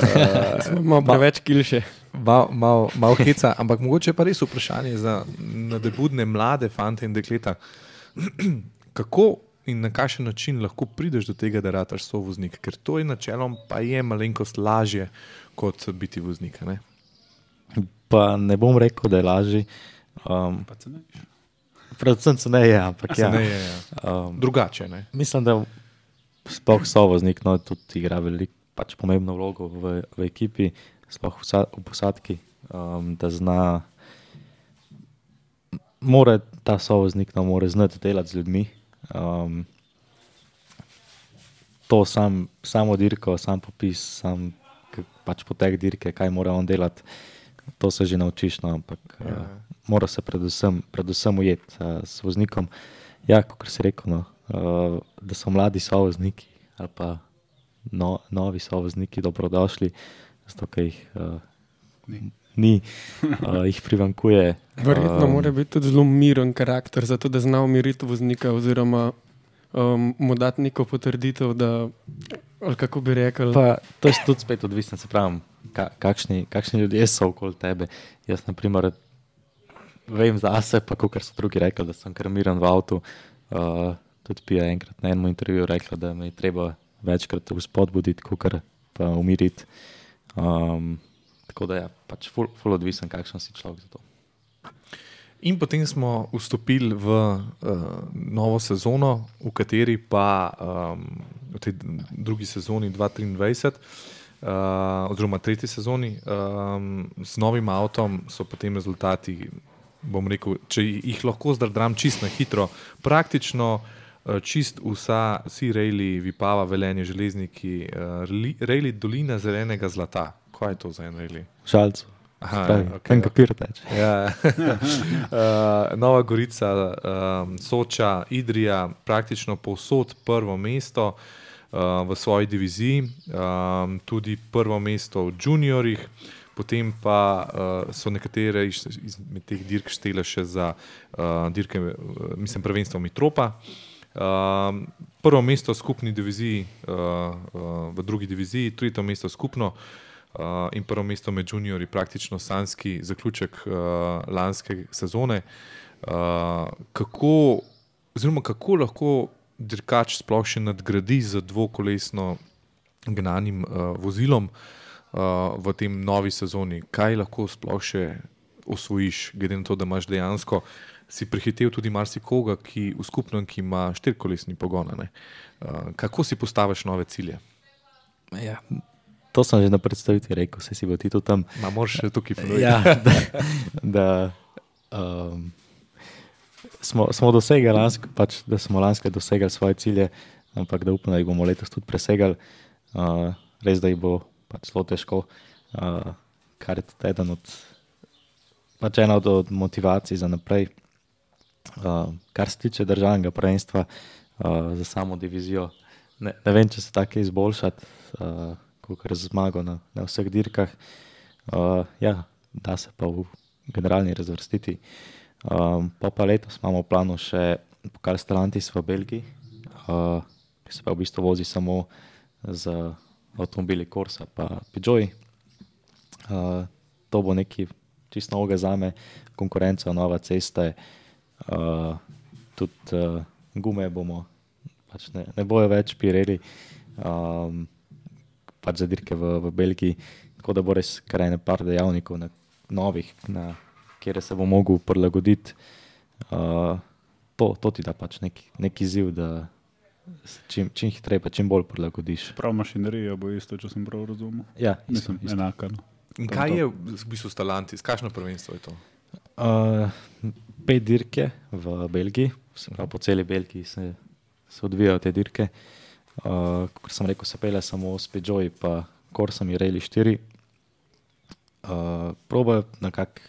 Speaker 1: Uh,
Speaker 3: Malo preveč kilše.
Speaker 1: Malo mal, mal heca, ampak mogoče pa res vprašanje za nadebudne mlade fante in dekleta. Kako in na kakšen način lahko prideš do tega, da rataš sovoznik? Ker to je načelom pa je malenkost lažje kot biti voznik, ne?
Speaker 4: Pa ne bom rekel, da je lažji. Um,
Speaker 2: Pa se ne.
Speaker 4: predvsem se ne je, ampak ja.
Speaker 1: Ne, je, ja.
Speaker 4: Um,
Speaker 1: Drugače, ne?
Speaker 4: mislim, da sploh sovoznik no, tudi igra veliko, pač pomembno vlogo v, v ekipi, sploh v, vsa, v posadki, um, da zna, mora ta sovoznik no, mora znati delati z ljudmi. Um, to sam, samo dirko, sam popis, sam k, pač potek dirke, kaj mora on delati, to se že naučiš, no, ampak ja. uh, mora se predvsem, predvsem ujeti uh, s voznikom. Ja, kot si rekel, no, uh, da so mladi sovozniki ali pa no, novi sovozniki dobrodošli, zato ker jih uh,
Speaker 2: Ni.
Speaker 4: ni, uh, jih privankuje.
Speaker 3: Verjetno
Speaker 4: Um,
Speaker 3: mora biti tudi zelo miren karakter, zato da zna umiriti voznika oziroma um, mu dati neko potrditev, da, ali kako bi rekel,
Speaker 4: Pa, to je tudi spet odvisno, se pravi, ka, kakšni, kakšni ljudje so okoli tebe. Jaz, na primer, vem zase, pa kot so drugi rekli, da sem kar miren v avtu. Uh, tudi Pija je enkrat na enem intervjuju rekla, da me je treba večkrat vzpodbuditi, kot pa umiriti. Um, tako da je ja, pač ful, ful odvisen, kakšen si človek za to.
Speaker 1: In potem smo vstopili v uh, novo sezono, v kateri pa um, v tej drugi sezoni dva tisoč triindvajset, uh, oziroma tretji sezoni, um, s novim avtom so potem rezultati, bom rekel, če jih lahko zdrdram čist na hitro, praktično uh, čist vsa, vsi rejli, Vipava, Velenje, Železniki, uh, rejli Dolina zelenega zlata. Kaj je to za en rejli?
Speaker 4: Žalcu.
Speaker 1: Aha,
Speaker 4: Pravi,
Speaker 1: ja,
Speaker 4: okay,
Speaker 1: ok.
Speaker 4: papir teče.
Speaker 1: Ja. uh, Nova Gorica, um, Soča, Idrija, praktično povsod prvo mesto uh, v svoji diviziji, um, tudi prvo mesto v juniorjih, potem pa uh, so nekatere iz, izmed teh dirk štele še za uh, dirke, uh, mislim, prvenstvo Mitropa. Um, prvo mesto v skupni diviziji, uh, uh, v drugi diviziji, tretje mesto skupno. Uh, in prvo mesto med juniorji, praktično sanjski zaključek uh, lanske sezone. Uh, kako, oziroma kako lahko dirkač sploh še nadgradi z dvokolesno gnanim uh, vozilom uh, v tem novi sezoni? Kaj lahko sploh še osvojiš, glede na to, da imaš dejansko, si prehitev tudi marsikoga, ki v skupnem, ki ima štirikolesni pogon. Uh, kako si postaviš nove cilje?
Speaker 4: Ja. To sem že na predstavitvi rekel, se si bo ti tu tam.
Speaker 1: Ma moraš še tukaj povedati.
Speaker 4: Ja, da, da um, smo, smo dosegali lansko, pač, da smo lansko dosegali svoje cilje, ampak da upam, da jih bomo letos tudi presegali. Uh, res, da jih bo pač zelo težko, uh, kar je tudi eden od, pač ena od, od motivacij za naprej. Uh, kar se tiče državnega prvenstva uh, za samo divizijo, ne, ne vem, če se tako izboljšati. Uh, kar zmago na, na vseh dirkah. Uh, ja, da se pa v generalni razvrstiti. Um, pa pa letos imamo v planu še pokal Stellantis v Belgiji, uh, ki se pa v bistvu vozi samo z avtomobili Corsa pa Peugeot. Uh, to bo nekaj čisto novega zame, konkurenca, nova ceste, uh, tudi uh, gume bomo pač ne, ne bojo več Pirelli, um, pač za dirke v, v Belgiji, tako da bo res kar ene par dejavnikov na, novih, na kjer se bo mogel prilagoditi. Uh, to, to ti da pač nek, nek izziv, da se čim, čim hitreje pa čim bolj prilagodiš.
Speaker 2: Prav mašinerija bo isto, če sem prav razumel.
Speaker 4: Ja, isto,
Speaker 2: Mislim,
Speaker 4: isto.
Speaker 2: enaka. No.
Speaker 1: In kaj je v bistvu Stellantis? Kakšno prvenstvo je to?
Speaker 4: Uh, pet dirke v Belgiji, se pravi, po celi Belgiji se, se odvijajo te dirke. Uh, kot sem rekel, se pele samo s Peugeot pa Corsa in Rally štiri. Uh, probajo nekako,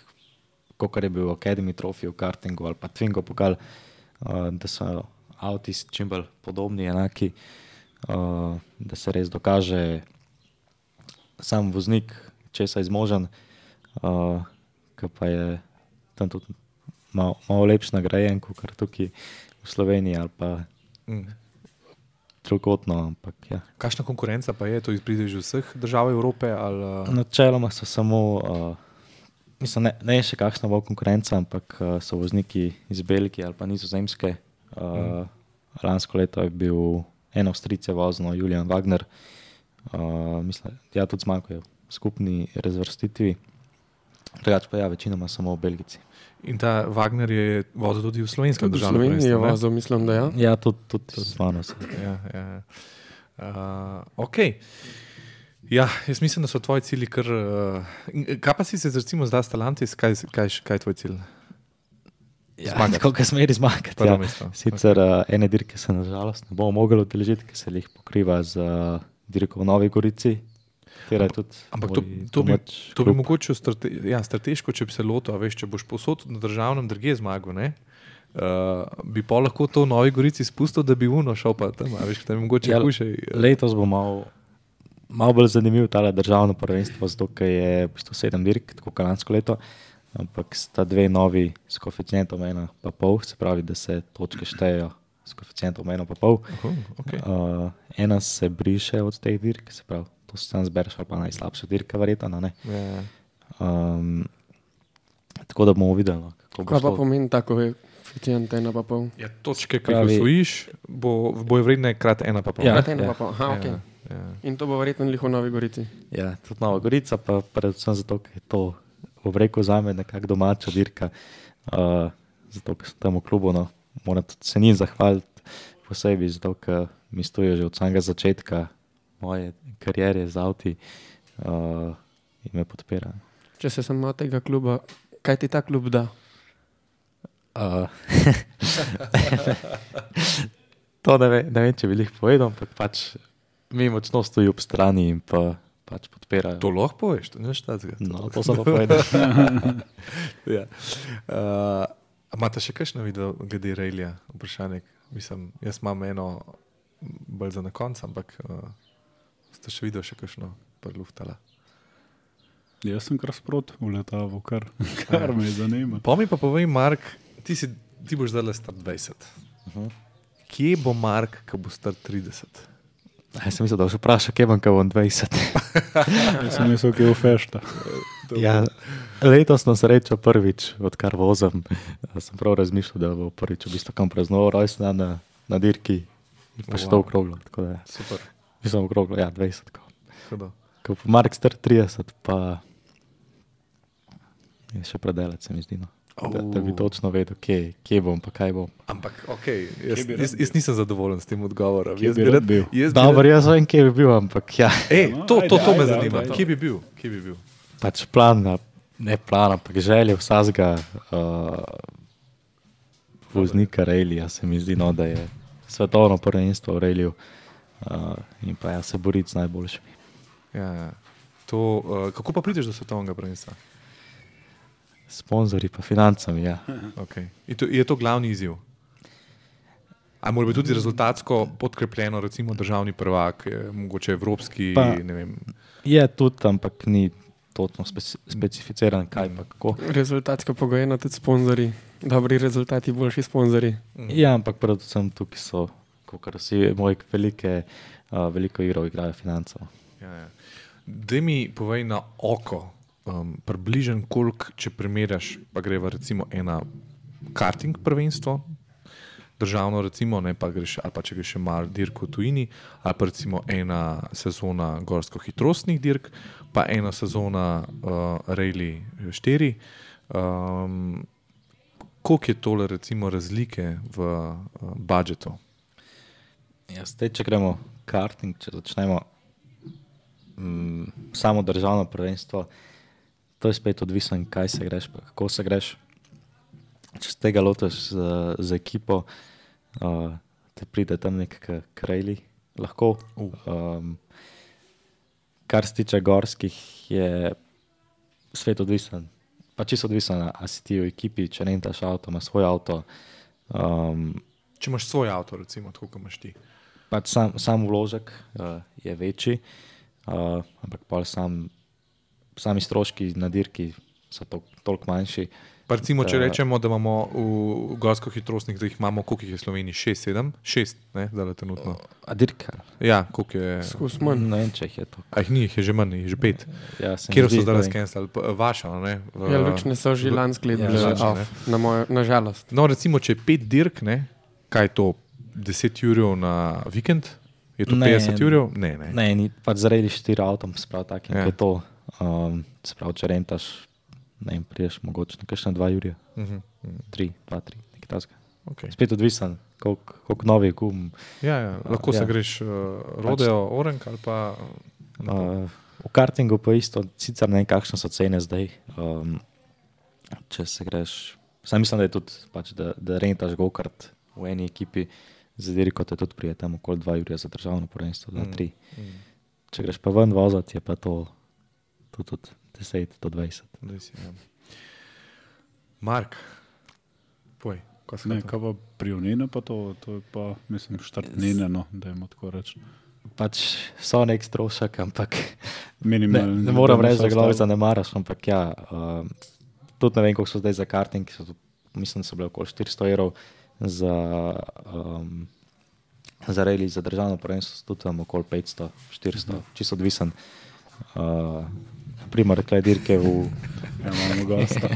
Speaker 4: kot je bil Academy Trophy v kartingu ali pa Twingo pokal, uh, da so avti čim bolj podobni, enaki, uh, da se res dokaže sam voznik, česa je zmožen, uh, ki pa je tam tudi malo, malo lepši nagrajen, kot tukaj v Sloveniji ali pa
Speaker 1: Mm.
Speaker 4: drugotno, ampak ja.
Speaker 1: Kakšna konkurenca pa je? To izpride že vseh držav Evrope? Ali, uh...
Speaker 4: Načeloma so samo, uh, mislim, ne, ne je še kakšna bo konkurenca, ampak uh, so vozniki iz Belgije ali pa Nizozemske. Uh, mm. Lansko leto je bil en Avstrijec vozno, Julian Wagner. Uh, mislim, ja, tudi zmanjkajo v skupni razvrstitvi. Drugače pa ja, večinoma samo Belgijci.
Speaker 1: In ta Wagner je vozil tudi v slovenskem
Speaker 3: Tudi v
Speaker 1: državnem
Speaker 3: Sloveniji je
Speaker 1: prvenstvu, ne?
Speaker 3: vozil, mislim, da ja.
Speaker 4: Ja, tudi, tudi z mano se.
Speaker 1: Ja, ja. Uh, ok. Ja, jaz mislim, da so tvoji cilji kar... Uh, kaj pa si se recimo zdaj Stellantis? Kaj, kaj, kaj je tvoj cilj?
Speaker 4: Ja,
Speaker 1: Zmagati.
Speaker 4: tako, kaj smeri zmagati.
Speaker 1: Prvo
Speaker 4: Ja.
Speaker 1: mesto.
Speaker 4: Sicer uh, ene dirke se nažalost ne bomo mogli udeležiti, ker se jih pokriva z uh, dirko v Novi Gorici. Katera je tudi
Speaker 1: Ampak to,
Speaker 4: moj
Speaker 1: to, bi,
Speaker 4: domač
Speaker 1: to bi
Speaker 4: klub.
Speaker 1: mogoče strate, ja, strateško, če bi se lotil, a veš, če boš posod na državnem drugje zmagal, ne? Uh, bi pa lahko to v Novi Gorici spustil, da bi uno šel pa tam, a veš, tam je mogoče
Speaker 4: Ja,
Speaker 1: hujše.
Speaker 4: Letos bo malo mal bolj zanimiv tale državno prvenstvo, zato ker je v bistvu sedem dirk, tako kot lansko leto, ampak sta dve novi s koeficientom ena pa pol, se pravi, da se točke štejejo s koeficientom ena pa pol.
Speaker 1: Uh, okay.
Speaker 4: Uh, ena se briše od teh dirk, se pravi, to se sam zbereš ali pa najslabša dirka, verjetno, ne?
Speaker 1: Ja.
Speaker 4: Um, tako da bomo videli, no, kako bo
Speaker 3: Kaj pa
Speaker 4: šlo.
Speaker 3: pomeni tako koeficient ena pa pol?
Speaker 1: Ja, točke, ki jih
Speaker 4: Pravi-
Speaker 1: osvojiš, bo, bojo vredne krat ena pa pol.
Speaker 4: Ja.
Speaker 1: ne?
Speaker 3: Krat ena pa pol, aha,
Speaker 1: Ja,
Speaker 3: okej.
Speaker 1: ja.
Speaker 3: In to bo verjetno lih v Novi Gorici.
Speaker 4: Ja, tudi Nova Gorica, pa predvsem zato, ker je to, bom rekel, zame nekako domača dirka. Uh, zato, ker sem tam v klubu, no, moram tudi se njim zahvaliti posebej, zato, ker mi stojijo že od samega začetka moje kariere z avti uh, in me podpirajo.
Speaker 3: Če se sem od tega kluba, kaj ti ta klub da?
Speaker 4: Uh, to ne, ve, ne vem, če bi jih povedal, ampak pač mi močno stoji ob strani in pa, pač podpirajo.
Speaker 1: To lahko poveš, to ne štacga.
Speaker 4: No, to sem pa povedal.
Speaker 1: Ja. Uh, a imate še kakšno video glede Rallija? Vprašanje. Mislim, jaz imam eno bolj za na konc, ampak uh, ste še videli še kakšno prluftala?
Speaker 2: Jaz sem kar sprot v letavu, kar, kar me zanima.
Speaker 1: Pa mi pa povej, Mark, ti, si, ti boš zdaj star dvajset.
Speaker 4: Uh-huh.
Speaker 1: Kje bo Mark, ko bo star trideset?
Speaker 4: Jaz sem mislil, da boš vprašal, kje bom, ko bom dvajset.
Speaker 2: Jaz sem mislil, ki je v fešta.
Speaker 4: Ja, letos na srečo prvič, odkar vozim, sem prav razmišljal, da bo prvič v bistvu kam praznoval rojstna na, na dirki. Pa še to
Speaker 1: Wow.
Speaker 4: okroglo. Tako da,
Speaker 1: Super.
Speaker 4: mislim okroglo, ja, dvajset. Ko,
Speaker 1: Hudo.
Speaker 4: ko pa Mark star trideset, pa je še predelec, se mi zdi. No. Da, da bi točno vedel, kje, kje bom, pa kaj bom.
Speaker 1: Ampak, okay, jaz,
Speaker 2: Kje bi rad
Speaker 1: jaz, jaz nisem zadovoljen s tem odgovorom.
Speaker 2: Kje
Speaker 1: Jaz
Speaker 2: bi rad bil?
Speaker 1: Jaz bi
Speaker 4: Dobro,
Speaker 1: rad,
Speaker 4: jaz vem, kje bi bil, ampak ja,
Speaker 1: ej,
Speaker 2: No,
Speaker 1: to, to, to
Speaker 2: ajde,
Speaker 1: me
Speaker 2: ajde,
Speaker 1: zanima.
Speaker 2: ajde.
Speaker 1: Kje bi bil? Kje bi bil?
Speaker 4: pač plan, ne plan, ampak želje vsakega uh, voznika Rallija, se mi zdi, no, da je svetovno prvenstvo v Ralliju uh, in pa ja, se boriti z najboljšimi.
Speaker 1: Ja, ja. To, uh, kako pa prideš do svetovnega prvenstva?
Speaker 4: Sponzorji pa financami, ja.
Speaker 1: Okay. Je, to, je to glavni izziv? Ali mora biti tudi rezultatsko podkrepljeno, recimo državni prvak, je, mogoče evropski,
Speaker 4: Pa-
Speaker 1: ne vem.
Speaker 4: Je tudi, ampak ni točno speci specificiran, kaj pa kako.
Speaker 3: Rezultatsko pogojeno tudi sponzorji. Dobri rezultati, boljši sponzorji.
Speaker 4: Ja, ampak predvsem tukaj so, kot vsi moji velike, uh, veliko igrov igrajo financov.
Speaker 1: Ja, ja. Daj mi povej na oko, um, približen koliko, če primerjaš, pa greva recimo ena karting prvenstvo, državno, recimo, ne, pa greš, ali pa če greš še malo dirk v tujini, ali pa recimo ena sezona gorsko-hitrostnih dirk, pa ena sezona uh, Rally štiri. Um, koliko je tole recimo razlike v uh, budžetu?
Speaker 4: Ja, zdaj, če gremo karting, če začnemo mm, samo državno prvenstvo, to je spet odvisno, kaj se greš, pa kako se greš. Če z tega lotiš z, z ekipo, uh, te pride tam nek krajli, lahko. Um, kar se tiče gorskih, je svet odvisen. Pa čisto odvisen, a si ti v ekipi, če rentaš avto, imaš svoj avto. Um,
Speaker 1: če imaš svoj avto, recimo, tako kot imaš ti.
Speaker 4: Pač sam, sam vložek uh, je večji, uh, ampak pa sam, sami stroški na dirki so to, toliko manjši.
Speaker 1: Pa recimo, če rečemo, da imamo v gorsko-hitrostnih, da jih imamo, koliko jih je v Sloveniji? Šest, sedem? Šest, ne, zdaj trenutno.
Speaker 4: A dirka?
Speaker 1: Ja, koliko je?
Speaker 3: Skus manj.
Speaker 4: Ne vem, če jih je to.
Speaker 1: A jih ni, jih je že manj, jih je že pet.
Speaker 4: Ja,
Speaker 1: Kjer so zdaj razkenstali? Vaša, ne? V,
Speaker 3: Ja, lučne so že lansko
Speaker 1: Ja,
Speaker 3: gledali,
Speaker 1: lučne,
Speaker 3: off, na, moj, na žalost.
Speaker 1: No, recimo, če je pet dirk, ne, kaj je to? deset jurjev na vikend? Je to
Speaker 4: Ne.
Speaker 1: petdeset jurjev? Ne, ne.
Speaker 4: Ne, ni, pač zaradi štiri avtom, sprav takim,
Speaker 1: Ja.
Speaker 4: ja. Je to. Um, sprav, če rentaš, ne vem, priješ mogoče na kakšne dva jurja,
Speaker 1: Uh -huh. uh -huh.
Speaker 4: tri, dva, tri, nekaj tasga.
Speaker 1: Okay.
Speaker 4: Spet odvisen, koliko, koliko novih gum.
Speaker 1: Ja, ja, lahko ja. se
Speaker 4: Ja.
Speaker 1: greš uh, rodeo, orank ali pa...
Speaker 4: Uh, v kartingu pa isto, sicer ne vem, kakšne so cene zdaj. Um, če se greš, sam mislim, da je tudi, pač, da, da rentaš go-kart v eni ekipi, za dirko te tudi prije tam okoli dva jurja za državno prvenstvo, dva, tri.
Speaker 1: Mm. Mm.
Speaker 4: Če greš pa ven vozati, je pa to, to tudi deset do dvajset.
Speaker 1: Daj si, ja. Mark, poj, kaj se
Speaker 2: Ne,
Speaker 1: to?
Speaker 2: kaj pa prionine, pa to, to je pa, mislim, štartnine, no, dajmo tako reči.
Speaker 4: Pač so nek strošek, ampak ne,
Speaker 2: Minimalno.
Speaker 4: ne moram reči, da glavi zanemaraš, ampak ja, um, tudi ne vem, koliko so zdaj za karting, so, tu- mislim, da so bile okoli štiristo evrov za, um, za rally, za državno prvenstvo, so tudi tam okoli petsto, štiristo, uh-huh. čisto odvisen. Uh, Primer, rekla dirke v,
Speaker 2: Ja, imamo gosta.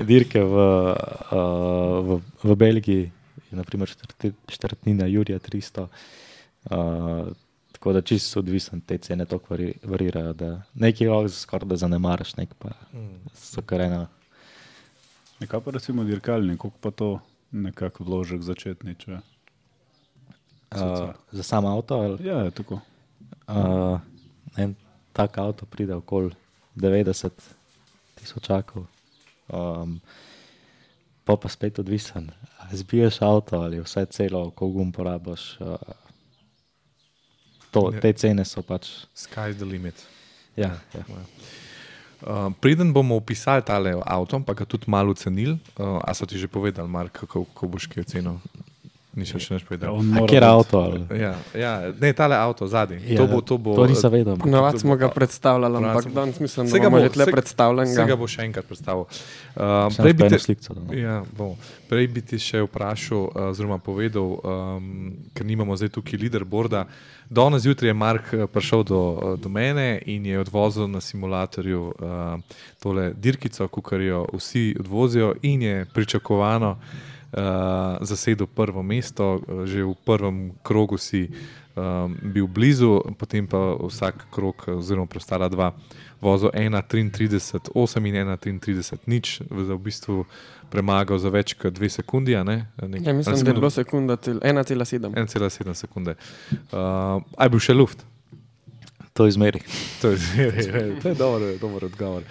Speaker 4: dirke v, uh, v, v Belgiji, je naprimer štrti, štrtnina Jurija tristo, uh, tako da čisto odvisen, te cene toliko vari, varirajo, da nekaj lahko skoraj da zanemaraš, nek pa so kar ena.
Speaker 2: Nekaj pa recimo dirkalnik, koliko pa to nekako vložek začetni, če...
Speaker 4: Uh, za sam avto, ali,
Speaker 2: Ja, je tako.
Speaker 4: uh, en tak avto pride okoli devetdeset tisočakov. Um, pa pa spet odvisen, ali zbiješ avto ali vse celo, koliko gum porabiš. Uh, to,
Speaker 1: Ja.
Speaker 4: te cene so pač.
Speaker 1: Sky's the limit.
Speaker 4: Ja, ja.
Speaker 1: Uh, preden bomo opisali tale avto, pa ga tudi malo ocenili, uh, a so ti že povedali, Mark, kako, kako boš kaj ocenil? Ni še še nič
Speaker 2: Ja,
Speaker 1: povedal.
Speaker 2: on
Speaker 4: A
Speaker 2: mora
Speaker 4: kjer
Speaker 2: biti-
Speaker 4: avto? Ali?
Speaker 1: Ja, ja, ne, tale avto zadnji.
Speaker 4: Ja,
Speaker 1: to bo, to bo,
Speaker 4: to nisem vedel.
Speaker 3: Ponovadi smo ga predstavljali,
Speaker 1: Ponovadi
Speaker 3: ampak
Speaker 1: smo-
Speaker 3: danes mislim,
Speaker 1: Se
Speaker 3: da
Speaker 1: ga
Speaker 3: bomo
Speaker 1: bo-
Speaker 3: že tle
Speaker 1: se-
Speaker 3: predstavljen.
Speaker 1: Se ga bo še enkrat predstavil. Uh,
Speaker 4: Sem
Speaker 1: prej, bi
Speaker 4: pa eno
Speaker 1: te,
Speaker 4: sliko dal, no.
Speaker 1: ja, bomo. Prej bi ti še vprašal, uh, oziroma povedal, um, ker nimamo zdaj tukaj leaderboarda. Danes zjutraj je Mark uh, prišel do, uh, do mene in je odvozil na simulatorju uh, tole dirkico, kar jo vsi odvozijo, in je pričakovano uh, zasedel prvo mesto. Uh, že v prvem krogu si um, bil blizu, potem pa vsak krog, oziroma preostala dva, vozil ena triintrideset osem in ena triintrideset nič, za v bistvu premagal za več kot dve sekundi. a Ne? Nek,
Speaker 3: Ja, mislim, da je bilo sekunda, cel- ena cela sedem.
Speaker 1: ena cela sedem sekunde. Uh, aj bil še luft.
Speaker 4: To izmeri.
Speaker 1: To je, to je dober, dober odgovor.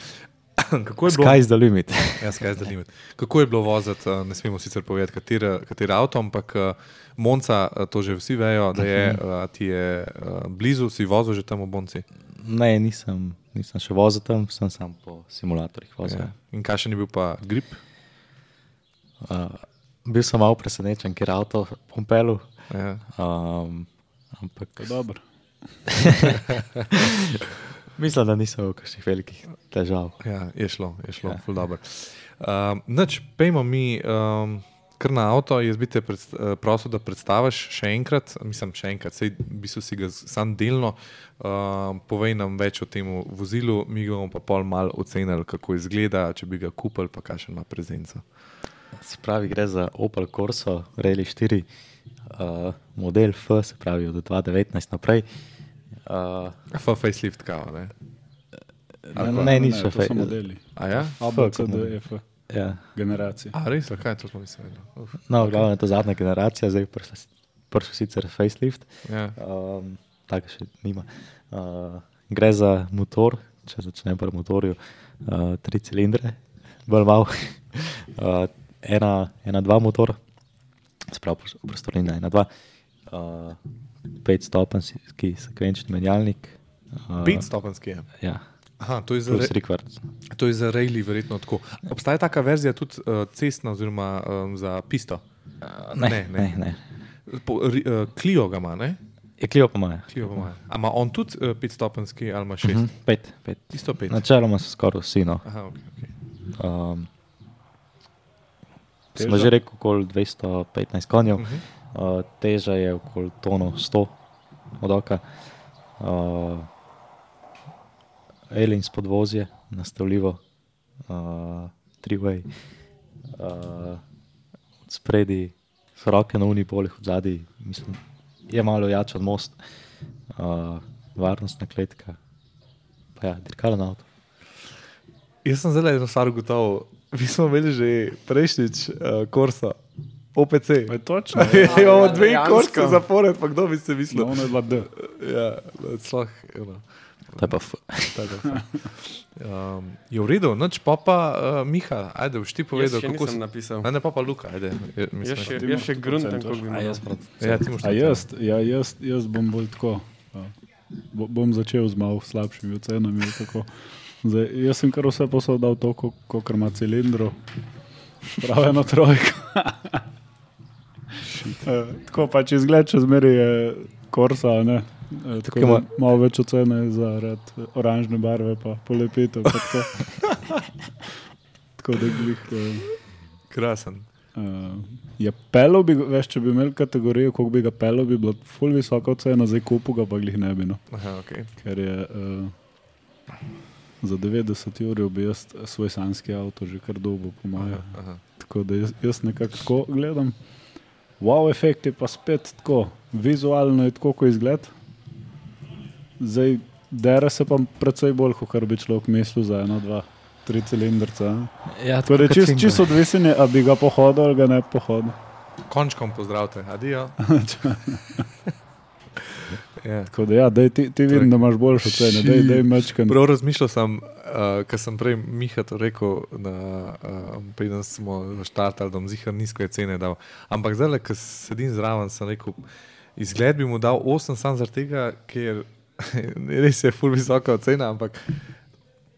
Speaker 1: Kako je bilo?
Speaker 4: Sky's the limit.
Speaker 1: Ja, sky's the limit. Kako je bilo voziti, uh, ne smemo sicer povedati, kateri avto, ampak uh, Monca, uh, to že vsi vejo, da je, uh, ti je uh, blizu, si vozil že tam v Bonci.
Speaker 4: Ne, nisem, nisem še vozil tam, sem sam po simulatorjih vozil.
Speaker 1: Ja. In kakšen je bil pa grip?
Speaker 4: Uh, bil sem malo presenečen, ker avto pompelu,
Speaker 1: Ja.
Speaker 4: um, ampak
Speaker 2: To je dobro.
Speaker 4: mislim, da nisem imel kakšnih velikih težav.
Speaker 1: Ja, je šlo, je šlo,
Speaker 4: Ja.
Speaker 1: ful dobro. Um, Noč, pejmo mi um, kar na avto, jaz bi te predst, uh, prosil, da predstaviš še enkrat, mislim še enkrat, sej v bistvu si ga z- sam delno, um, povej nam več o tem vozilu, mi ga bomo pa pol malo ocenili, kako izgleda, če bi ga kupili, pa kakšen ima prezenco.
Speaker 4: Se pravi, gre za Opel Corso, Rally štiri, uh, model F, se pravi od dva tisoč devetnajst naprej. Uh,
Speaker 1: F facelift kao, ne?
Speaker 4: ne, ne, niso
Speaker 2: to so modeli.
Speaker 1: A ja?
Speaker 2: A, B, C, D, E, F.
Speaker 4: Ja.
Speaker 2: Generacije.
Speaker 1: A res, kaj to smo nisem vedel. Uf.
Speaker 4: No, okay. Glavno je to zadnja generacija, zdaj prišel sicer facelift,
Speaker 1: Ja.
Speaker 4: um, tako še nima. Uh, gre za motor, če začnem pri motorju, uh, tri cilindre, bolj malo. uh, ena, ena, dva motor, sprav prostornina, ena, dva, uh, pet stopenjski sekvenčni menjalnik. Uh,
Speaker 1: Petstopenjski je.
Speaker 4: Ja,
Speaker 1: Aha, to je za,
Speaker 4: plus
Speaker 1: re,
Speaker 4: rekvart.
Speaker 1: to je za rally verjetno tako. Obstaja taka verzija tudi uh, cestna oziroma um, za pisto?
Speaker 4: Uh, ne,
Speaker 1: Ne,
Speaker 4: ne,
Speaker 1: ne.
Speaker 4: ne.
Speaker 1: Po, ri, uh, Clio ga ima, ne?
Speaker 4: Je Clio pa imajo.
Speaker 1: Clio ga ima. A ima on tudi uh, petstopenjski ali ima šest?
Speaker 4: Mhm, pet, pet.
Speaker 1: Isto pet.
Speaker 4: Načeloma so skoraj vsi, no.
Speaker 1: Aha, ok, ok.
Speaker 4: Um,
Speaker 2: Teža?
Speaker 4: smo že rekel okoli dvesto petnajst konjev,
Speaker 1: Uh-huh.
Speaker 4: uh, teža je okoli tono sto od oka. Uh, Elins podvozje, nastavljivo, uh, three-way, uh, od spredi so roke na unipolih, od zadaj, mislim, je malo jač od most, uh, varnostna kletka, pa ja, dirkalen avto.
Speaker 1: Jaz sem zelo eno stvar gotovo. Mi smo imeli že prejšnjič uh, Corsa, O P C.
Speaker 2: Pa je točno.
Speaker 1: Imamo dve
Speaker 3: dejansko.
Speaker 1: Corse zapored, pa kdo bi se mislil?
Speaker 2: No, ono je dva D.
Speaker 1: Ja, sloh, eno.
Speaker 4: To je pa f.
Speaker 1: Tako, um, je v redu, noč pa pa uh, Miha, ajde, boš ti
Speaker 3: Jaz
Speaker 1: povedal,
Speaker 3: še
Speaker 1: kako
Speaker 3: nisem
Speaker 1: si.
Speaker 3: napisal.
Speaker 1: Ne, ne, pa pa Luka, ajde. Je,
Speaker 3: Jaz
Speaker 1: mislim,
Speaker 3: še,
Speaker 2: ti
Speaker 3: jaz
Speaker 2: imaš
Speaker 3: še
Speaker 2: sto
Speaker 3: gruntam,
Speaker 2: procentov.
Speaker 3: kako bi
Speaker 4: A jaz
Speaker 3: moral.
Speaker 4: prav.
Speaker 1: ja, ti moš
Speaker 2: A jaz, ja, jaz, jaz bom bolj tako. Ja. Bo, bom začel z malo slabšimi ocenami. Tako. Zdaj, jaz sem kar vse posod dal to, kot ima cilindrov. Prav eno trojko. uh, tako pač izgled, če zmeri je Corsa, ne. Uh, tako
Speaker 4: ima-
Speaker 2: da malo več ocene zaradi oranžne barve, pa polepitev. Pa tako. tako da glih. Uh,
Speaker 1: krasen.
Speaker 2: Uh, je pelo, bi, veš, če bi imel kategorijo, koliko bi ga pelo, bi bila ful visoka ocena, zdaj kupu ga pa glih ne bi. No.
Speaker 1: Aha, okay.
Speaker 2: Ker je uh, za devetdeset ur bi jaz svoj sanski avto že kar dolgo po moje.
Speaker 1: Aha, aha.
Speaker 2: Tako da jaz, jaz nekako tako gledam. Wow, efekt je pa spet tako, vizualno je tako, ko izgled. Zdaj dere se pa predvsej bolj, kot bi človek mislil za eno, dva, tri cilindrca.
Speaker 4: Ja,
Speaker 2: Tako da je čist, čist odvisen, je, a bi ga pohodil ali ga ne pohodil.
Speaker 1: Končkom pozdravite, adijo. Ja.
Speaker 2: Tako da ja, daj, ti, ti vidim, da imaš boljšo ceno, daj, daj mečkan.
Speaker 1: Prav razmišljal sem, uh, ker sem prej Miha to rekel, da uh, preden smo štartali, da bom zihar nizke cene dal. Ampak zdaj, ko sedim zraven, sem rekel, izgled bi mu dal osem sam zaradi tega, ker res je ful visoka cena, ampak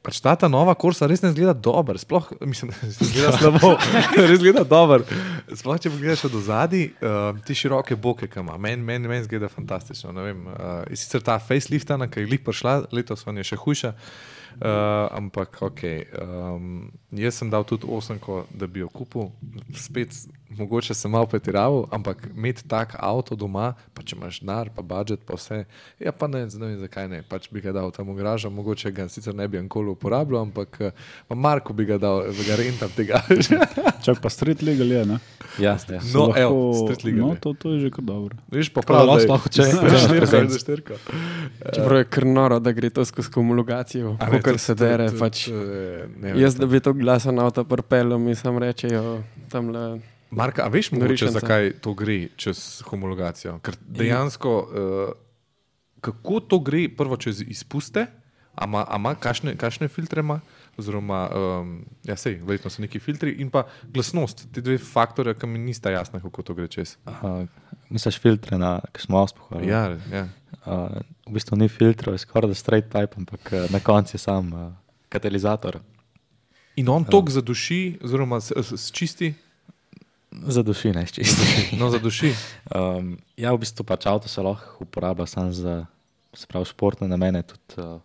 Speaker 1: pač ta, ta nova Corsa res ne izgleda dober, sploh, mislim, da izgleda slabo, res izgleda dober. Sploh, če pogledaš od ozadij, uh, ti široke boke, ki ima, meni men, men izgleda fantastično, ne vem. Uh, je sicer ta faceliftana, ki je glih prišla, letos on je še hujša, uh, ampak ok, um, jaz sem dal tudi osemko, da bi jo kupil, spet mogoče sem malo pretiraval, ampak imeti tak avto doma, pa če imaš denar, pa budžet, pa vse, ja pa ne, ne vem zakaj ne, pač bi ga dal tam v garažo, mogoče ga sicer ne bi ankoli uporabljal, ampak pa Marko bi ga dal, da ga rentam tega.
Speaker 2: Čak pa street legal je, ne?
Speaker 4: Ja, ja.
Speaker 1: No,
Speaker 2: Lahko-
Speaker 1: evo, street legal
Speaker 2: No,
Speaker 1: je.
Speaker 2: to, to je že kar dobro.
Speaker 1: Viš, pa
Speaker 4: Prav,
Speaker 1: prav,
Speaker 4: sploh, če- če-
Speaker 1: štirka,
Speaker 4: če-
Speaker 1: štirka.
Speaker 3: Čeprav je kar noro, da gre to skozi homologacijo,
Speaker 1: A ne,
Speaker 3: kar
Speaker 1: to-
Speaker 3: se
Speaker 1: to-
Speaker 3: dere.
Speaker 1: to-
Speaker 3: Pač,
Speaker 1: to je- ne vem,
Speaker 3: jaz, da bi to glasen avto prpelo, mi sam rečejo tamle.
Speaker 1: Marka, a veš mogoče,
Speaker 3: Norišnica.
Speaker 1: zakaj to gre čez homologacijo? Ker dejansko, uh, kako to gre prvo čez izpuste, a ima, a ima kakšne, kakšne filtre ima, oziroma, um, ja sej, verjetno so neki filtri in pa glasnost, ti dve faktorja, ki mi nista jasna, kako to gre čez.
Speaker 4: Uh, misliš filtre na, ki smo auspuh?
Speaker 1: Ja, ja.
Speaker 4: Uh, v bistvu ni filtrov, je skoraj da straight pipe, ampak uh, na koncu je sam uh, katalizator.
Speaker 1: In on tok zaduši, oziroma s, s, s čisti,
Speaker 4: Za duši, ne čisto.
Speaker 1: no zaduši.
Speaker 4: Um, ja, v bistvu pač avto se lahko uporablja samo za, se pravi, športne namene, tudi uh,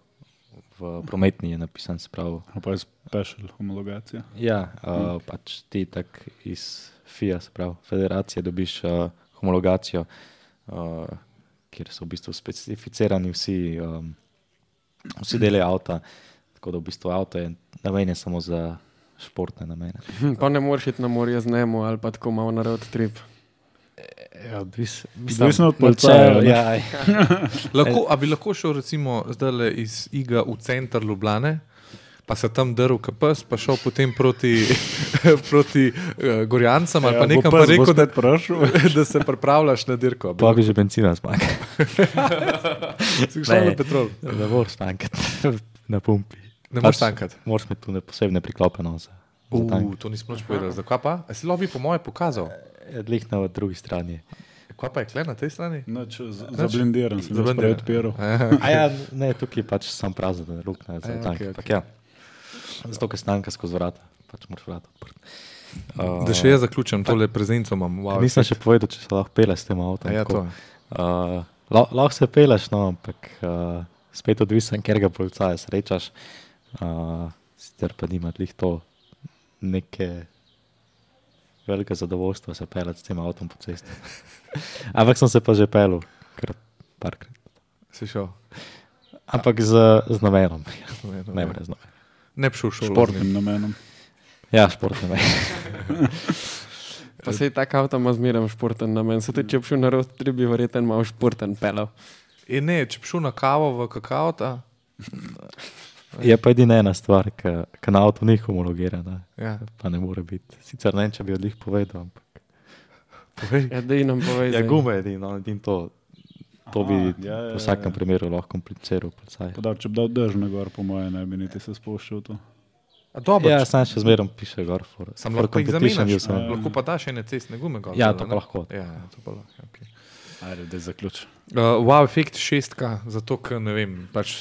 Speaker 4: v prometni je napisan, se pravi.
Speaker 2: A pa je special homologacija.
Speaker 4: Ja, uh, pač ti tak iz F I A, se pravi, federacije dobiš uh, homologacijo, uh, kjer so v bistvu specificirani vsi, um, vsi deli avta, tako da v bistvu avto je namenjen samo za športne namene.
Speaker 3: Pa ne moreš iti na morje z Nemo ali pa tako malo na road trip.
Speaker 4: Ja, bis,
Speaker 2: Odvisno od policaja, ne?
Speaker 4: Ja,
Speaker 1: Lahko, a bi lahko šel recimo zdajle iz Iga v center Ljubljane, pa se tam drl kapes, pa šel potem proti, proti uh, Gorjancem ali pa nekam, pa rekel, da, da se pripravljaš na dirko.
Speaker 4: pa bi že benzina zmanjkal.
Speaker 1: Si šel na petrol.
Speaker 4: Ne moreš tankati na pumpi.
Speaker 1: Ne moreš tankati.
Speaker 4: Moraš imeti tu ne posebne priklope. No, za, za tank.
Speaker 1: Uh, to nismo nič povedali. Zakaj pa? A si lobby po moje pokazal?
Speaker 4: Dlih na drugi strani.
Speaker 1: Kaj pa je kle na tej strani?
Speaker 2: Noč, zablindiran sem,
Speaker 1: Zablindiran.
Speaker 2: zdaj odpiral.
Speaker 4: A ja, ne, tukaj je pač sam prazen, da ne rukne za
Speaker 1: Ja,
Speaker 4: tank.
Speaker 1: okej,
Speaker 4: Okay, ja. Zato, ker stanka skozi vrata, pač moraš vrata odprti. Uh,
Speaker 1: Da še jaz zaključim, tole prezenco imam. Wow,
Speaker 4: nisem še povedal, če se lahko peleš s tem avtom.
Speaker 1: A ja, to.
Speaker 4: Uh, la- lahko se peleš, no, ampak uh, spet odvisen, ker ga policaja srečaš. Uh, sicer pa nima tlih to neke velike zadovoljstva se pelati s tem avtom po cesti. Ampak sem se pa že pelil, kar parkrat.
Speaker 1: Si šel.
Speaker 4: Ampak z, z namenom.
Speaker 1: Ne,
Speaker 4: Ne, brez namena.
Speaker 1: ne bi šel v šolo.
Speaker 2: Športnim namenom.
Speaker 4: Ja, športni namen.
Speaker 3: Pa se je tak avto ima zmeraj športen namen. Se tudi, če bi šel na road trip, bi verjetno malo športen pelal.
Speaker 1: E, ne, če bi šel na kavo v kakao, ta.
Speaker 4: Je pa edina ena stvar, ki na avtu ni homologirana.
Speaker 1: Ja.
Speaker 4: Pa ne more biti. Sicer ne vem, če bi odlih povedal, ampak.
Speaker 1: Povej.
Speaker 3: Ja, daj nam povej.
Speaker 4: Ja,
Speaker 3: zdaj.
Speaker 4: gume je edino, edino to. To bi
Speaker 2: Aha, ja, ja,
Speaker 4: v vsakem
Speaker 2: ja.
Speaker 4: primeru lahko kompliciral policaj.
Speaker 2: Pa da, če bi dal dež na gor, po moje, ne bi niti se spuščal to.
Speaker 1: A dobro,
Speaker 4: Ja,
Speaker 1: ja,
Speaker 4: sam še zmerom piše gor. For,
Speaker 1: sam
Speaker 4: for
Speaker 1: lahko jih
Speaker 4: competition
Speaker 1: zamenjaš.
Speaker 4: use,
Speaker 1: a,
Speaker 4: ne.
Speaker 1: Lahko pa daš ene cestne gume gor.
Speaker 4: Ja,
Speaker 1: dol,
Speaker 4: to
Speaker 1: ne?
Speaker 4: pa lahko.
Speaker 1: Ja, ja, to pa lahko, okay.
Speaker 2: Ajde, da zaključ.
Speaker 1: Uh, wow, efekt šestka, zato ker ne vem, pač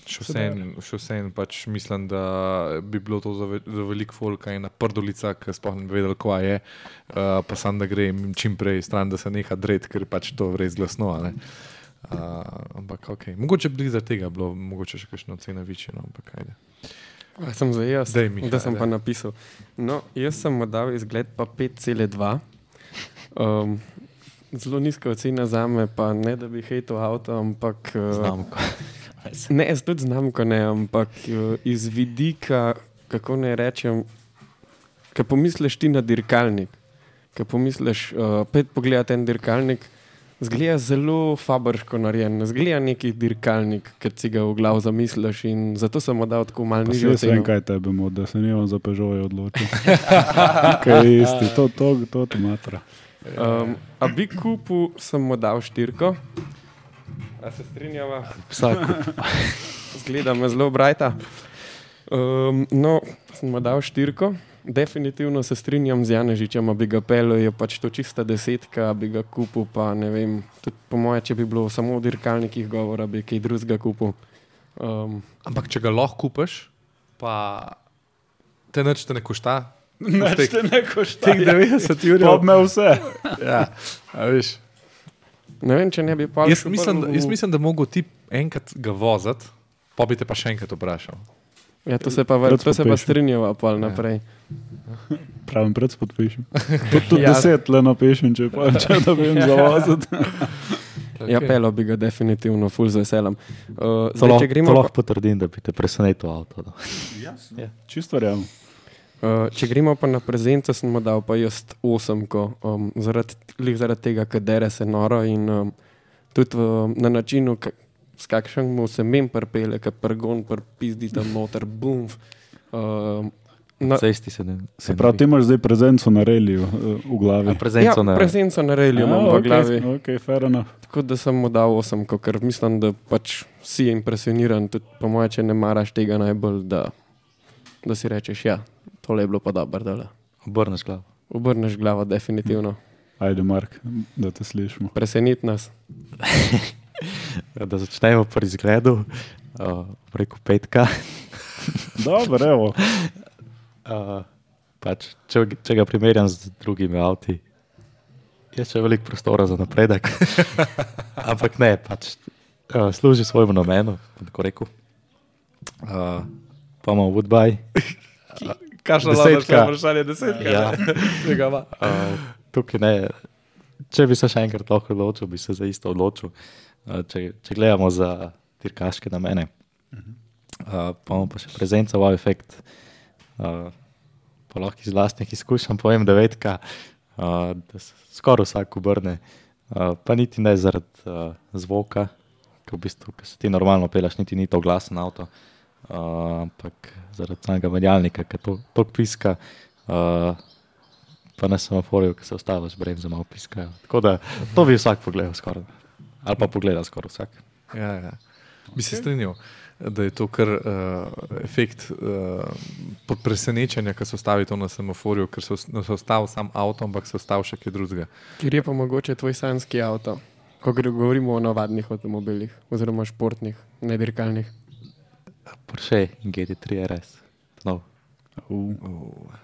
Speaker 1: še vsem, še vsem pač mislim, da bi bilo to za, ve, za veliko folka ena prdolica, ki sploh ne bi vedel, kva je, uh, pa sam da gre jim čim prej stran, da se neha dret, ker je pač to res glasno. a ne. Uh, ampak ok, mogoče bi zaradi tega bilo, mogoče še kakšno ocena večje, no, ampak ajde.
Speaker 3: A sem zdaj jaz,
Speaker 1: Daj, Miha,
Speaker 3: da sem
Speaker 1: daj.
Speaker 3: pa napisal. No, jaz sem mu dal izgled pa pet celih dva. Um, zelo nizka ocena za me, pa ne da bi hejtel avto, ampak... Uh,
Speaker 4: Znamko.
Speaker 3: Ne, jaz tudi znamko ne, ampak uh, iz vidika, kako ne rečem, ko pomisliš ti na dirkalnik, ko pomisliš, uh, pet pogledati en dirkalnik, zgleda zelo fabrško narejen, zgleda neki dirkalnik, ki si ga v glavu zamisliš in zato sem mu dal tako malo
Speaker 2: Pa si
Speaker 3: nižjo
Speaker 2: jaz vem,
Speaker 3: oceno.
Speaker 2: kaj tebe mod, da se nimam za Peugeot odločil. Kaj je isti, to, to, to, to matra.
Speaker 3: Um, a bi kupu sem mu dal štirko. A se strinjava?
Speaker 4: Vsak.
Speaker 3: Zgleda me zelo brajta. Um, no, sem mu dal štirko. Definitivno se strinjam z Janežičem, a bi ga pelil, je pač to čista desetka, a bi ga kupil, pa ne vem, tudi po moje, če bi bilo samo o dirkalnikih govora, bi kaj drugega kupil. Um,
Speaker 1: Ampak če ga lahko kupiš, pa te nič te ne košta.
Speaker 2: Neč
Speaker 1: Teh-
Speaker 2: te ne košta.
Speaker 1: Teh devetdeset
Speaker 2: Pa
Speaker 1: jurjev.
Speaker 2: me vse.
Speaker 1: Ja, a veš.
Speaker 3: ne vem, če ne bi pa...
Speaker 1: Jaz mislim, da, jaz mislim, da mogo ti enkrat ga voziti, pa bi te pa še enkrat vprašal.
Speaker 3: Ja, to se pa,
Speaker 2: Rad
Speaker 3: to se pa
Speaker 2: podpišem.
Speaker 3: strinjava pol naprej.
Speaker 2: Pravim, pred podpišem. Tudi tud
Speaker 3: Ja.
Speaker 2: deset le napišem, če pa če da bi jim zavoziti.
Speaker 3: Ja, pelil bi ga definitivno, ful z veseljem. Uh,
Speaker 4: To
Speaker 3: zdaj,
Speaker 4: lahko,
Speaker 3: če
Speaker 4: to
Speaker 3: gremo pa,
Speaker 4: lahko potrdim, da bi te presenetil avto. No.
Speaker 2: Čisto verjamem.
Speaker 3: Uh, če gremo pa na prezenco, sem mu dal pa jaz osemko, um, zaradi, glih zaradi tega, ker dere se noro in um, tudi um, na načinu, k, s kakšen mu se mem prpele, ker prgon prpizdi tam noter, bum. Um,
Speaker 4: Na
Speaker 3: na,
Speaker 4: cesti se ne.
Speaker 2: Se pravi, ti imaš zdaj prezenco na reliju uh, v glavi.
Speaker 3: ja,
Speaker 4: Prezenco na.
Speaker 3: prezenco na relju imam
Speaker 2: Ja,
Speaker 3: v glavi.
Speaker 2: Ok, okay, fair enough.
Speaker 3: Tako da sem mu dal osemko, ker mislim, da pač si impresioniran, tudi po moje, če ne maraš tega najbolj, da, da si rečeš, ja, tole je bilo pa dobro, da
Speaker 4: Obrneš glavo.
Speaker 3: obrneš glavo, definitivno.
Speaker 2: Ajde, Mark, da te slišimo.
Speaker 3: Presenit nas.
Speaker 4: Da začnemo pri izgledu, uh, preko petka.
Speaker 2: Dobro, evo.
Speaker 4: Uh, pač, če, če ga primerjam z drugimi avti, je še veliko prostora za napredek. Ampak ne, pač, uh, služi svojemu namenu, bom tako rekel. Uh, pa imamo Woodbine.
Speaker 1: Kakšna
Speaker 4: Desetka.
Speaker 1: vprašanje? Desetka.
Speaker 4: Ja.
Speaker 1: Tega ima.
Speaker 4: Uh, tukaj ne. Če bi se še enkrat lahko odločil, bi se za isto odločil. Uh, če, če gledamo za dirkaške namene, uh, pa imamo pa še prezenca, wow efekt. Uh, pa lahko iz lastnih izkušenj povem, da vedka, uh, da se skoraj vsak obrne, uh, pa niti ne zaradi uh, zvoka, ki v bistvu, ko se ti normalno peleš, niti ni to glasen avto, uh, ampak zaradi samega menjalnika, ki to, to piska, uh, pa na semaforju, ki se ostavaš bremze malo piskajo. Tako da to bi vsak pogledal skoraj, ali pa pogleda skoraj vsak.
Speaker 1: Ja, ja. Bi se strinjal, da je to kar uh, efekt uh, pod presenečenja, ko se ostavi to na semaforju, ker se ostavi sam avto, ampak se ostavi še kaj drugega.
Speaker 3: Ker je pa mogoče tvoj sanjski avto, ko govorimo o navadnih avtomobilih, oziroma športnih, ne dirkalnih.
Speaker 4: Porsche G T tri R S. No.
Speaker 2: Uh.
Speaker 1: Uh,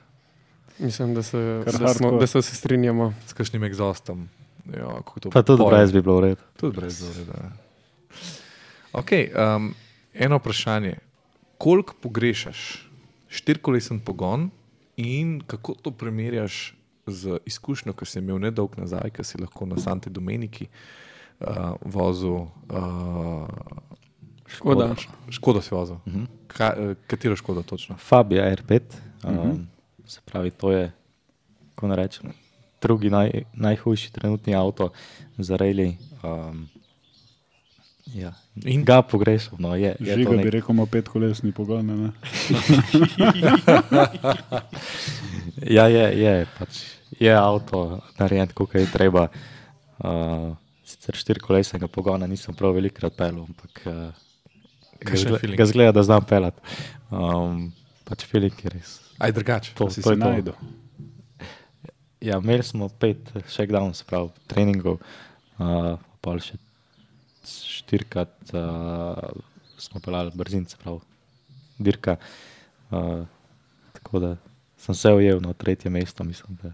Speaker 3: Mislim, da se,
Speaker 2: Kar
Speaker 3: da smo,
Speaker 2: hardcore.
Speaker 3: da se vsi strinjamo.
Speaker 1: s kakšnim egzostom. Ja, kako to
Speaker 4: Pa tudi
Speaker 1: poje.
Speaker 4: brez bi bilo v redu.
Speaker 1: Tudi brez zoreda. Ja. Ok, um, eno vprašanje. Koliko pogrešaš štirikolesen pogon in kako to primerjaš z izkušnjo, ki si imel nedolg nazaj, ki si lahko na Santi Domeniki uh, vozil uh,
Speaker 3: Škoda.
Speaker 1: Škodo si vozil.
Speaker 4: Mhm.
Speaker 1: Ka, uh, katero Škodo točno?
Speaker 4: Fabia R pet, um,
Speaker 2: Mhm.
Speaker 4: se pravi, to je, kako ne rečem, drugi naj, najhujši trenutni avto za rally. Um, ja.
Speaker 1: In?
Speaker 4: Ga pogrešam, no, je, je
Speaker 2: Žiga
Speaker 4: to
Speaker 2: bi
Speaker 4: nek...
Speaker 2: rekel, ima petkolesni pogon, ne?
Speaker 4: Ja, je, je, pač, je avto narejen, kako je treba. Uh, sicer štirikolesnega pogona nisem prav velikrat pelil, ampak uh, ga,
Speaker 1: Kakšen
Speaker 4: zgle,
Speaker 1: feeling?
Speaker 4: ga zgleda, da znam pelat. Um, pač feeling je res.
Speaker 1: Aj drugače.
Speaker 4: To,
Speaker 2: Si
Speaker 4: to
Speaker 2: si
Speaker 4: je to.
Speaker 2: najdel.
Speaker 4: Ja, imeli smo pet shakedown, se pravi, treningov, uh, pa še štirikrat uh, smo pelali brzin, se pravi, dirka. Uh, tako da sem se ujel na tretje mesto, mislim, da,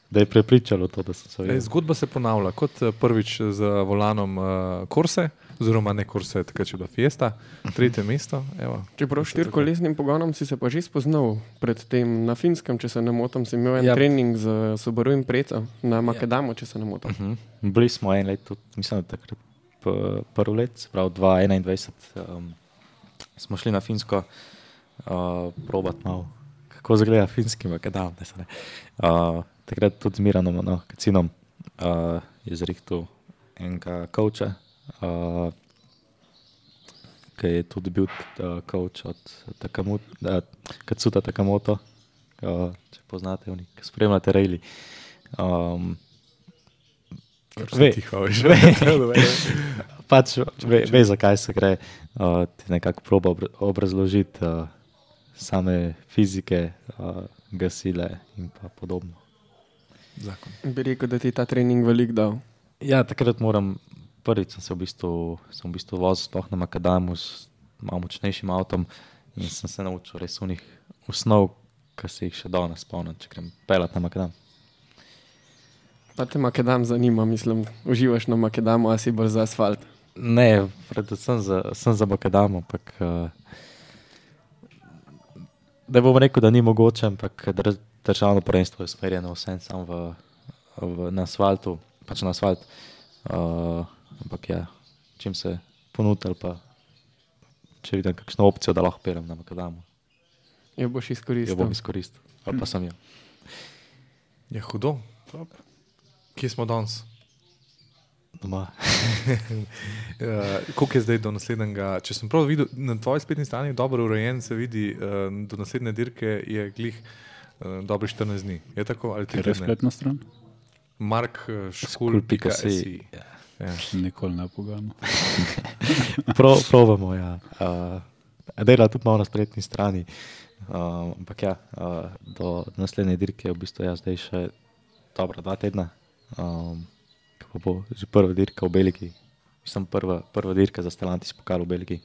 Speaker 4: da je prepričalo to, da sem se
Speaker 1: E,
Speaker 4: ujel.
Speaker 1: zgodba se ponavlja kot eh, prvič z volanom uh, Corse, oziroma ne Corse, takrat je bila Fiesta, tretje mesto. Evo.
Speaker 3: Čeprav štirikolesnim pogonom si se pa že spoznal pred tem na Finskem, če se ne motim, si imel en
Speaker 4: Ja.
Speaker 3: trening z Subaru Impreza na Makedamu, če se ne motim.
Speaker 4: Uh -huh. Bili smo en let, tudi, mislim, da takrat p- prvo let, se pravi dva tisoč enaindvajset, um, smo šli na Finsko uh, probat malo, kako izgleda finski makadam. Ne, se ne. Uh, takrat tudi z Miranom, no, Kacinom, uh, je zrihtel enega coacha, uh, ki je tudi bil uh, coach od Takamoto, uh, Katsuta Takamoto, uh, če poznate, oni, ki spremljate rally. Um, Ve.
Speaker 1: Tiho, veš.
Speaker 4: Pač ve, ve, zakaj se gre, uh, ti nekako proba obra- obrazložiti uh, same fizike, uh, gasile in pa podobno.
Speaker 1: Zakon.
Speaker 3: Bi rekel, da ti je ta trening velik dal.
Speaker 4: Ja, takrat moram, prvič sem se v bistvu, sem v bistvu vozil sploh na Makadamu s malo močnejšim avtom in sem se naučil res unih osnov, ki se jih še danes spomnim, če grem pelat na Makadam.
Speaker 3: Pa te Makedam zanima, mislim, uživaš na Makedamu, a si bolj za asfalt.
Speaker 4: Ne, predvsem za, sem za Makadam, ampak uh, da bom rekel, da ni mogoče, ampak dr- državno prvenstvo je usmerjeno vsem sam v, v, na asfaltu, pač na asfalt. Uh, ampak ja, čim se ponudil, pa če vidim kakšno opcijo, da lahko pelem na Makadamu,
Speaker 3: Jo boš
Speaker 4: jo
Speaker 3: izkoristil.
Speaker 4: bom izkoristil. Ali pa sem jo.
Speaker 1: Je hudo.
Speaker 2: Top.
Speaker 1: Kje smo danes?
Speaker 4: Doma.
Speaker 1: Uh, koliko je zdaj do naslednjega? Če sem prav videl, na tvoji spletni strani je dobro urejen, se vidi, uh, do naslednje dirke je glih uh, dobrih štirinajst dni. Je tako? Ali tri
Speaker 2: Ker je
Speaker 1: tedne?
Speaker 2: spletna stran?
Speaker 1: Mark
Speaker 4: Skul pika si.
Speaker 1: Škul.si. Ja.
Speaker 2: Nikoli ne pogano.
Speaker 4: Pro, probamo, ja. Uh, dela tudi malo na spletni strani. Uh, ampak ja, uh, do naslednje dirke je v bistvu jaz zdaj še dobra dva tedna. Um, ko pa bo že prva dirka v Belgiji. Mislim, prva, prva dirka za Stellantis pokal v Belgiji.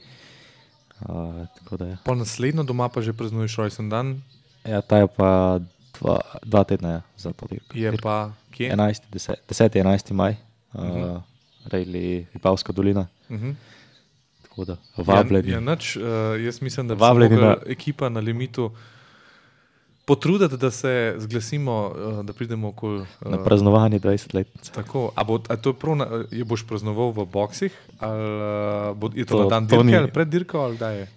Speaker 4: Uh, tako da ja.
Speaker 1: Po naslednjo doma pa že praznuješ rojsten dan,
Speaker 4: Ja, ta je pa dva, dva tedna ja, za to dirko.
Speaker 1: je pa kje?
Speaker 4: enajsti, deseti, enajsti maj, uh, rejli Vipavska dolina.
Speaker 1: Uh -huh.
Speaker 4: Tako da vabljeni.
Speaker 1: Ja, ja, nič, uh, jaz mislim, da bi
Speaker 4: Vabljeni
Speaker 1: se
Speaker 4: na-
Speaker 1: mogla ekipa na limitu potruditi, da se zglasimo, uh, da pridemo okoli. Uh,
Speaker 4: Na praznovanje dvajsetletnice.
Speaker 1: Tako, a, bo, a to je prav, na, je boš praznoval v boksih, ali uh, bo, je to,
Speaker 4: To-
Speaker 1: na dan
Speaker 4: to
Speaker 1: dirke
Speaker 4: ni-
Speaker 1: ali pred dirko, ali kdaj je?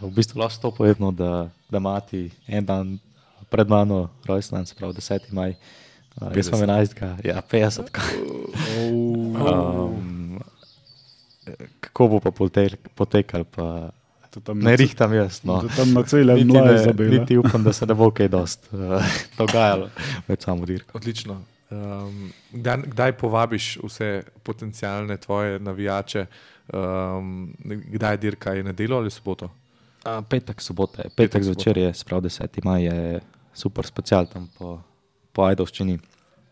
Speaker 4: V bistvu lahko to povedno, da, da mati en dan pred mano rojstnan, se pravi deseti maj. Uh, jaz sem enajstega, ja, petdeset. Um, kako bo pa potek, potekal, pa ne rihtam jaz. No.
Speaker 2: Tam na celem
Speaker 4: Niti,
Speaker 2: mlaj
Speaker 4: ne,
Speaker 2: zabila.
Speaker 4: niti upam, da se ne bo kaj dost uh, dogajalo med samo dirko.
Speaker 1: Odlično. Um, kdaj, kdaj povabiš vse potencijalne tvoje navijače? Um, kdaj je dirka, je nedeljo ali soboto?
Speaker 4: Uh, petek, sobota je.
Speaker 1: Petek,
Speaker 4: Petek zvečer je, se pravi deseti maj je super special tam po, po Ajdovščini.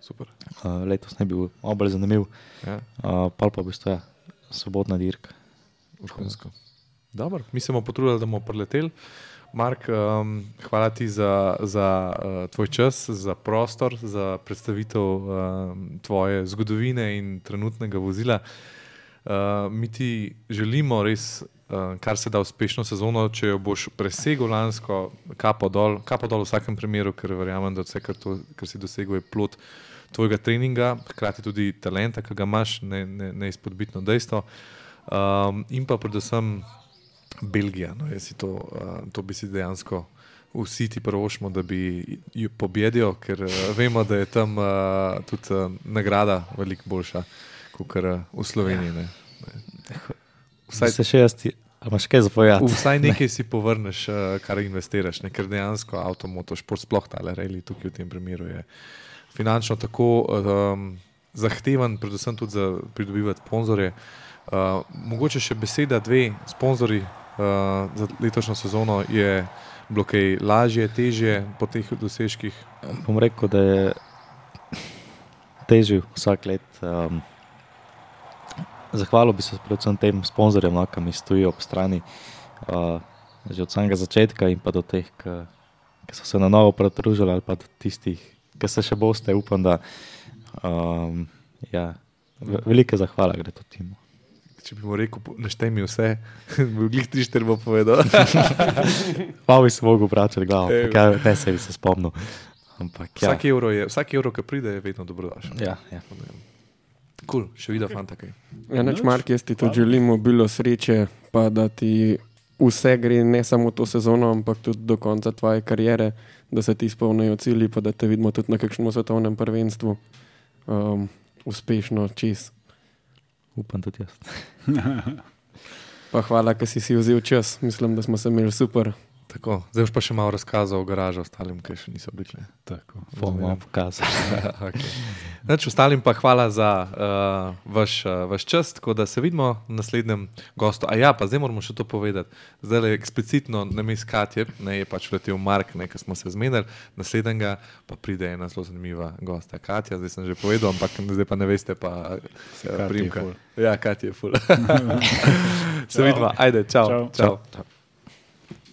Speaker 1: Super.
Speaker 4: Uh, letos ne bil obolj zanimiv.
Speaker 1: Ja.
Speaker 4: Uh, pol pa v bistvu ja, sobotna dirka.
Speaker 1: Vrhunsko. Dobro, mi se bomo potrudili, da bomo preleteli. Mark, um, hvala ti za, za uh, tvoj čas, za prostor, za predstavitev um, tvoje zgodovine in trenutnega vozila. Uh, mi ti želimo res, uh, kar se da uspešno sezono, če jo boš presegel lansko, kapo dol, kapo dol v vsakem primeru, ker verjamem, da vse, kar, to, kar si dosegel, je plod tvojega treninga, hkrati tudi talenta, ki ga imaš, ne, ne, neizpodbitno dejstvo. Um, in pa predvsem Belgija. No, to, uh, to bi si dejansko vsi ti prvošmo, da bi jo pobedil, ker uh, vemo, da je tam uh, tudi uh, nagrada veliko boljša, kot uh, v Sloveniji. Ne. Ne.
Speaker 4: Vsaj se še jaz ti, a imaš kaj zapovedati?
Speaker 1: Vsaj nekaj ne. si povrneš, uh, kar investiraš, ne, ker dejansko avtomotošport, sploh tale rally tukaj v tem primeru je finančno tako um, zahteven, predvsem tudi za pridobivati sponzorje. Uh, mogoče še beseda, dve sponzorji uh, za letošnjo sezono je bilo kaj lažje, težje po teh dosežkih?
Speaker 4: Bom rekel, da je težje vsak let. Um, zahvalil bi se predvsem tem sponzorjem, no, ki mi stojijo ob strani uh, že od samega začetka in pa do teh, ki so se na novo pridružili ali pa do tistih, ki se še boste, upam, da um, ja, velike zahvala gre to timu.
Speaker 1: Če bi mu rekel, naštej mi vse, bi glih tri, štiri bo povedal.
Speaker 4: Pa bi se mogel vračati glavo, ja, ne se bi se spomnil. Ampak, ja.
Speaker 1: Vsak evro, je, vsak evro, ki pride, je vedno dobrodošel.
Speaker 4: Ja, ja.
Speaker 1: Cool, še videl, okay. Fanta kaj.
Speaker 3: Ja, neč, Mark, jaz ti tudi želim obilo sreče, pa da ti vse gre ne samo to sezono, ampak tudi do konca tvoje kariere, da se ti izpolnijo cilji, pa da te vidimo tudi na kakšnem svetovnem prvenstvu. Um, uspešno, čez.
Speaker 4: Upam tudi jaz.
Speaker 3: Pa hvala, ker si si vzel čas. Mislim, da smo se imeli super.
Speaker 1: Tako, zdaj boš pa še malo razkazal o garažu ostalim, ki še niso bili.
Speaker 2: Tako,
Speaker 4: bomo vam pokazali.
Speaker 1: Okay. Znači, ostalim pa hvala za uh, vaš, uh, vaš čas, tako da se vidimo v naslednjem gostu. A ja, pa zdaj moramo še to povedati. Zdaj je eksplicitno namesto Katje, ne je pač letel Mark, ne, ker smo se zmenili, naslednjega pa pride ena zelo zanimiva gosta Katja, zdaj sem že povedal, ampak zdaj pa ne veste pa uh, primka. Ja, Katja je ful. Se vidimo, ajde, čau.
Speaker 2: Čau.
Speaker 1: Čau.
Speaker 2: Čau.